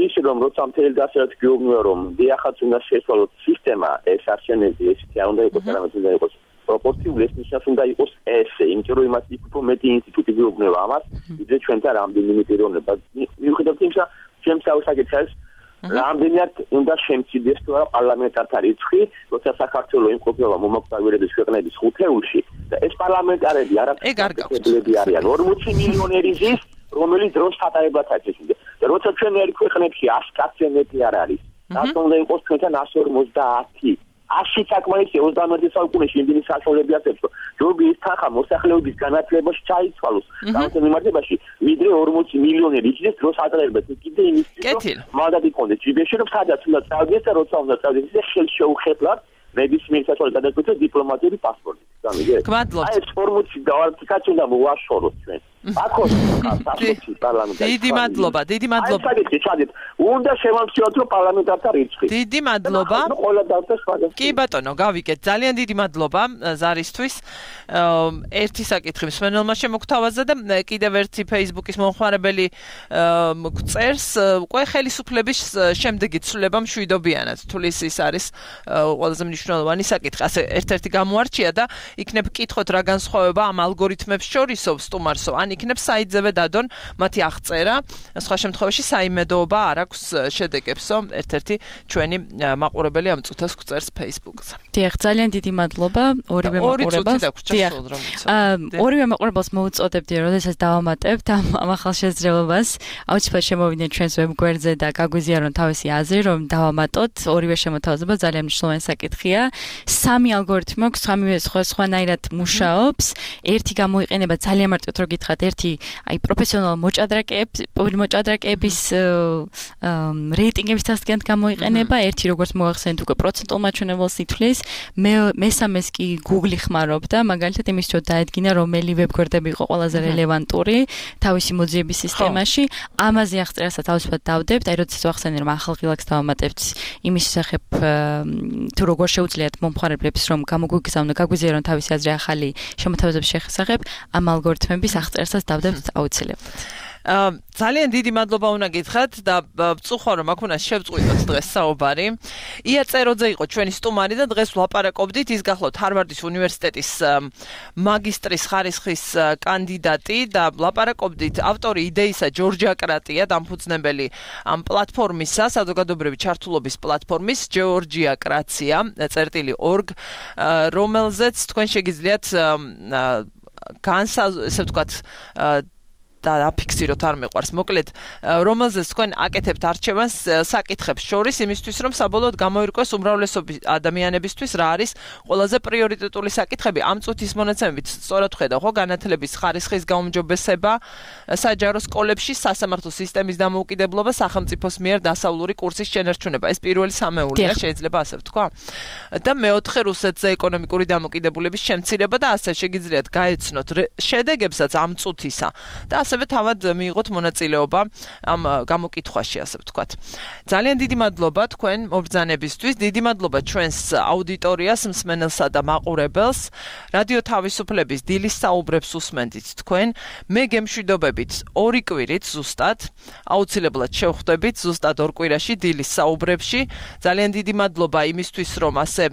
ის რომ როცა მთელი დასავლეთი გეუბნება რომ დიახაც უნდა შეცვალოთ სისტემა, ეს არჩევნები ესეთი არ უნდა იყოს, არამედ უნდა იყოს პროპორციული, ეს ნიშნავს უნდა იყოს ესე, იმიტომ რომ იმას იქ უფრო მეტი ინსტიტუტი გეუბნება ამას, ვიდრე ჩვენთან რამდენიმე პიროვნება. მიუხედავად იმისა, ჩემს საკითხს რამდენად უნდა შემცირდეს თუ არა პარლამენტართა რიცხვი, როცა საქართველოს იმყოფება მომაკვდავირების ქვეყნების ხუთეულში და ეს პარლამენტარები არაფერი არიან 40 მილიონერი ზის, რომელიც დროს ხატარებად აჩეჩნდა. და როცა ჩვენ ერთ ქვეყნებში 100 კაცზე მეტი არ არის, რატომ უნდა იყოს ჩვენთან 150? 100 საკმარისია 21 საუკუნეში იმდენი საშუალებები აქვს, რომ ჯობია ის თანხა მოსახლეობის განათლებაში ჩაიცვალოს გამოცემ მიმართებაში, ვიდრე 40 მილიონერი იქნეს დროს ატარებად. კიდე იმის მანდატი კონდეს ჯიბეში, რომ სადაც უნდა წავიდეს და როცა უნდა წავიდეს, ეს ხელშეუხებლად ნებისმიერ საშუალებას გადაგკვეთოს დიპლომატიური პასპორტი. გამიგეთ? აი ეს ფორმუჩი დავარქიკაც უნდა მოვაშოროთ ჩვენ. ახო პარლამენტი. დიდი მადლობა. ჩადეთ. უნდა შევამციროთ რომ პარლამენტართა რიცხვი. დიდი მადლობა. ყველა დავწერთ. კი ბატონო, გავიგეთ. ძალიან დიდი მადლობა ზარისთვის. ერთი საკითხი მსმენელმა შემოგთავაზა და კიდევ ერთი Facebook-ის მომხმარებელი წერს, უკვე ხელისუფლების შემდეგი ცვლილება მშვიდობიანად. თulis ის არის ყველაზე მნიშვნელოვანი საკითხი. ასე ერთ-ერთი გამოარჩია და იქნებ კითხოთ რა განსხვავება ამ ალგორითმებს შორისო სტუმარსო, ან იქნებ საიტზევე დადონ მათი აღწერა, სხვა შემთხვევაში საიმედოობა არ აქვს შედეგებსო, ერთ-ერთი ჩვენი მაყურებელი ამ წუთას გვწერს Facebook-ზე. დიახ, ძალიან დიდი მადლობა ორივე მაყურებელს. ორივე მაყურებელს მოუწოდებდი, როდესაც დავამატებთ ამ ახალ შესაძლებლობას, აუცილებლად შემოვიდნენ ჩვენს ვებგვერდზე და გაგვიზიარონ თავისი აზრი, რომ დავამატოთ. ორივე შემოთავაზება ძალიან მნიშვნელოვანი საკითხია. 3 ალგორითმი აქვს, სამივე სხვანაირად მუშაობს. ერთი გამოიყენება ძალიან მარტივად რო გითხრათ, ერთი აი პროფესიონალ მოჭადრაკეების რეიტინგების დასადგენად გამოიყენება, ერთი როგორც მოახსენეთ უკვე პროცენტულ მაჩვენებელს ითვლის, მესამეს კი Google ხმარობდა, მაგალითად იმის რომ დაედგინა რომელი ვებგვერდები იყო ყველაზე რელევანტური თავისი მოძიების სისტემაში, ამაზე აღწერასაც თავისუფლად დავდებთ, აი როდესაც ვახსენე რომ ახალ ღილაკს დავამატებთ იმის შესახებ თუ როგორ შეუძლიათ მომხმარებლებს რომ გაგვიზიარონ თავისი აზრი ახალი შემოთავაზების შესახებ, ამ ალგორითმების აღწერასაც დავდებთ აუცილებლად. ძალიან დიდი მადლობა უნდა გითხრათ და ვწუხარ რომ აქ უნდა შევწყვიტოთ დღეს საუბარი. ია წეროძე იყო ჩვენი სტუმარი და დღეს ვლაპარაკობდით ის გახლავთ ჰარვარდის უნივერსიტეტის მაგისტრის ხარისხის კანდიდატი და ვლაპარაკობდით ავტორი იდეისა ჯორჯიაკრატია დამფუძნებელი ამ პლატფორმისა საზოგადოებრივი ჩართულობის პლატფორმის georgiakratsia.org რომელზეც თქვენ შეგიძლიათ ესე ვთქვათ და აფიქსიროთ არ მეყვარს მოკლედ რომელზეც თქვენ აკეთებთ არჩევანს საკითხებს შორის იმისთვის რომ საბოლოოდ გამოირკვეს უმრავლესობის ადამიანებისთვის რა არის ყველაზე პრიორიტეტული საკითხები ამ წუთის მონაცემებით სწორად ხედავ ხო განათლების ხარისხის გაუმჯობესება საჯარო სკოლებში სასამართლო სისტემის დამოუკიდებლობა სახელმწიფოს მიერ დასავლური კურსის შენარჩუნება ეს პირველი სამეულია შეიძლება ასე ვთქვა და მეოთხე რუსეთზე ეკონომიკური დამოკიდებულების შემცირება და ასე შეგიძლიათ გაეცნოთ შედეგებსაც ამ წუთისა და ასევე თავად მიიღოთ მონაწილეობა ამ გამოკითხვაში ასე ვთქვათ. ძალიან დიდი მადლობა თქვენ მობრძანებისთვის, დიდი მადლობა ჩვენს აუდიტორიას, მსმენელსა და მაყურებელს. რადიო თავისუფლების დილის საუბრებს უსმენდით თქვენ. მე გემშვიდობებით 2 კვირით ზუსტად, აუცილებლად შევხვდებით ზუსტად 2 კვირაში დილის საუბრებში. ძალიან დიდი მადლობა იმისთვის, რომ ასე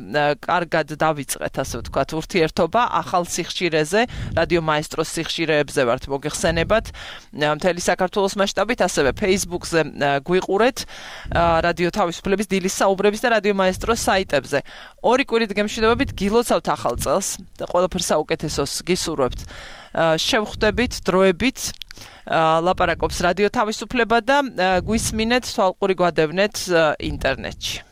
კარგად დავიწყეთ, ასე ვთქვათ, ურთიერთობა ახალ სიხშირეზე, რადიო მაესტროს სიხშირეებზე ვართ მოგეხსენებათ. მთელი საქართველოს მასშტაბით ასევე Facebook-ზე გვიყურეთ რადიო თავისუფლების დილის საუბრების და რადიო მაესტროს საიტებზე 2 კვირით გემშვიდობებით გილოცავთ ახალ წელს და ყველაფერს საუკეთესოს გისურვებთ შევხვდებით დროებით ლაპარაკობს რადიო თავისუფლება და გვისმინეთ თვალყური გვადევნეთ ინტერნეტში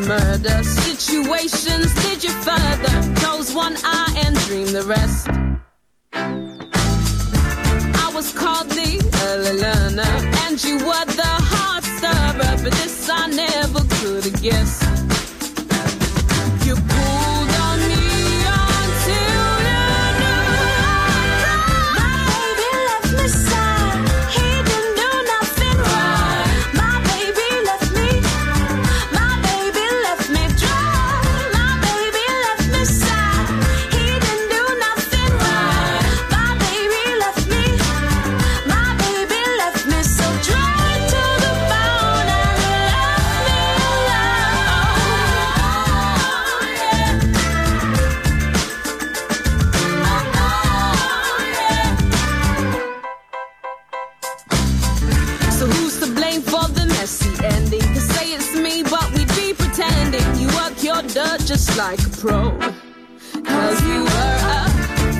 Murder situations, did you further close one eye and dream the rest? I was called the early learner and you were the hard stirrer, but this I never could have guessed. You pulled on me until you knew my baby left me sad. He didn't do nothing right. My baby left me. My baby left me dry. My baby left me sad. He didn't do nothing right. My baby left me. My baby left me so dry to the bone and left me So who's to blame for the messy ending? Could say it's me, but we'd be pretending. You work your dirt just like a pro. 'Cause you were a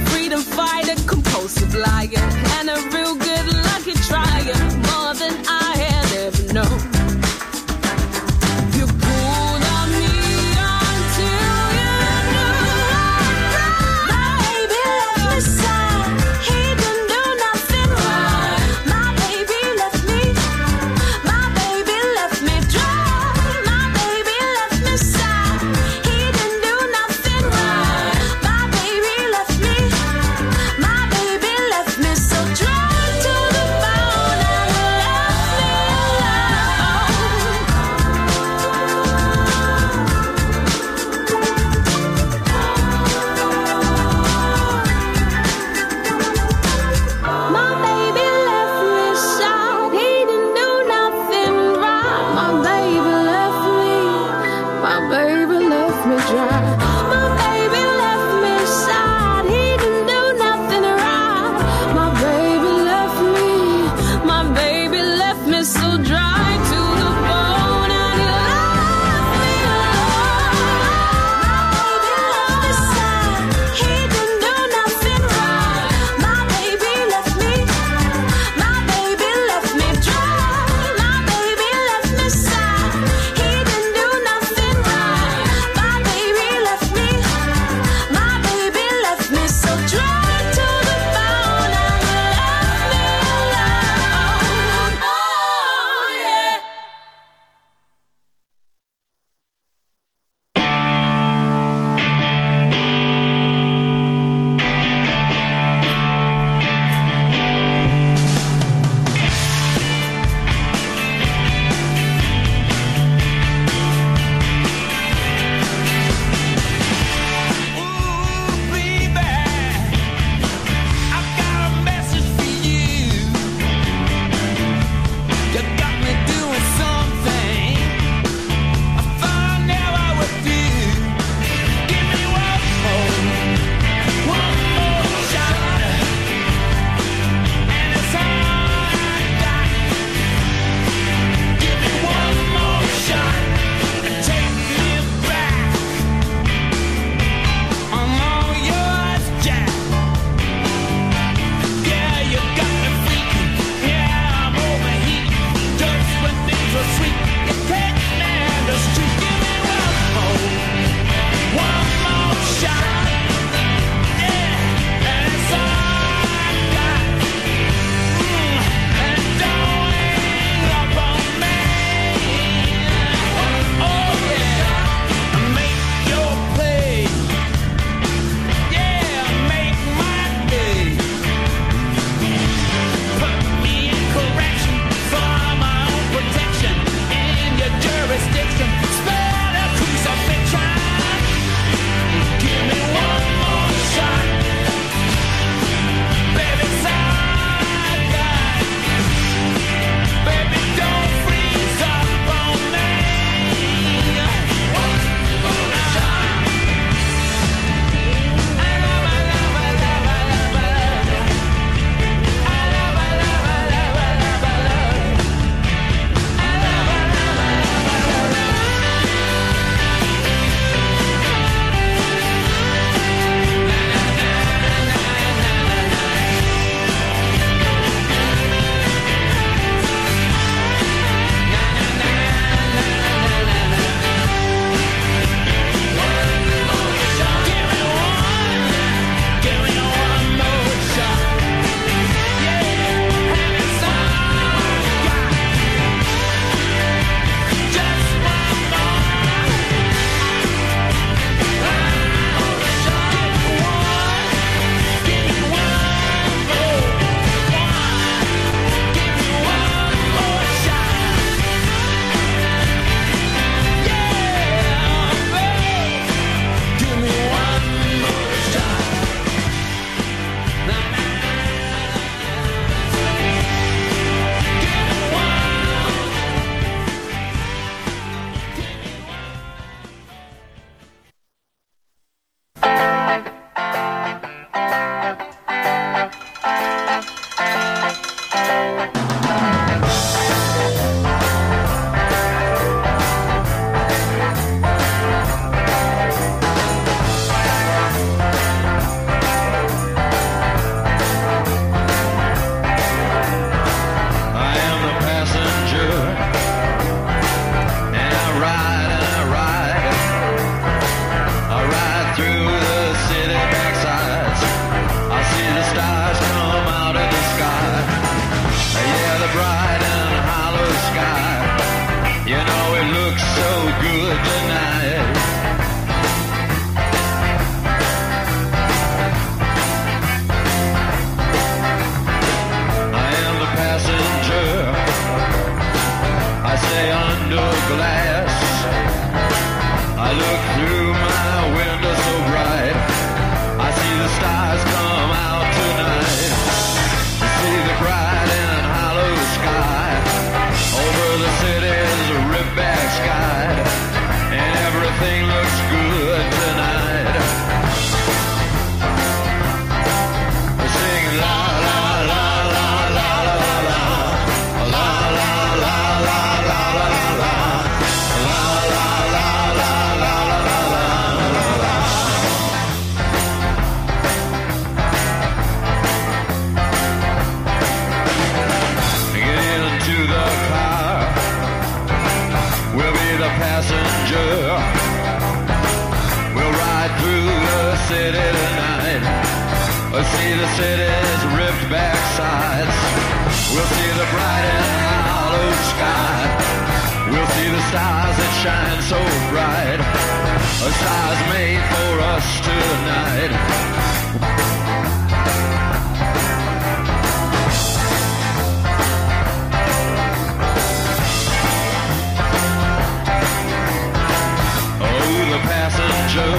freedom fighter, compulsive liar, and a real good lucky trier, more than I had ever known. You pulled on me until you knew my baby left me sad. He didn't do nothing right. My baby left me. My baby left me dry. My baby left me sad. He didn't do nothing right. My baby left me. My baby left me so lay under glass. I look through my window so bright, I see the stars come out tonight. I see the bright and hollow sky over the city's ripped back sky, and everything looks good tonight. I sing la la la la la la la la la la la la la la. Passenger, we'll ride through the city tonight. We'll see the city's ripped back sides. We'll see the bright and hollow sky. We'll see the stars that shine so bright. A stars made for us tonight. The passenger,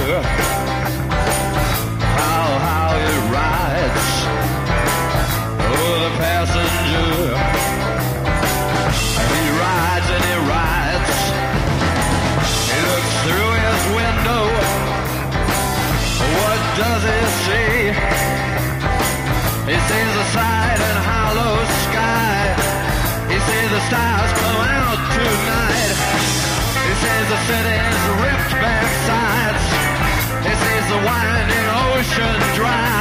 how it rides. Oh, the passenger, he rides and he rides. He looks through his window. What does he see? He sees the side and hollow sky. He sees the stars come out tonight. He sees the city's ripped back sides. He sees the winding ocean dry.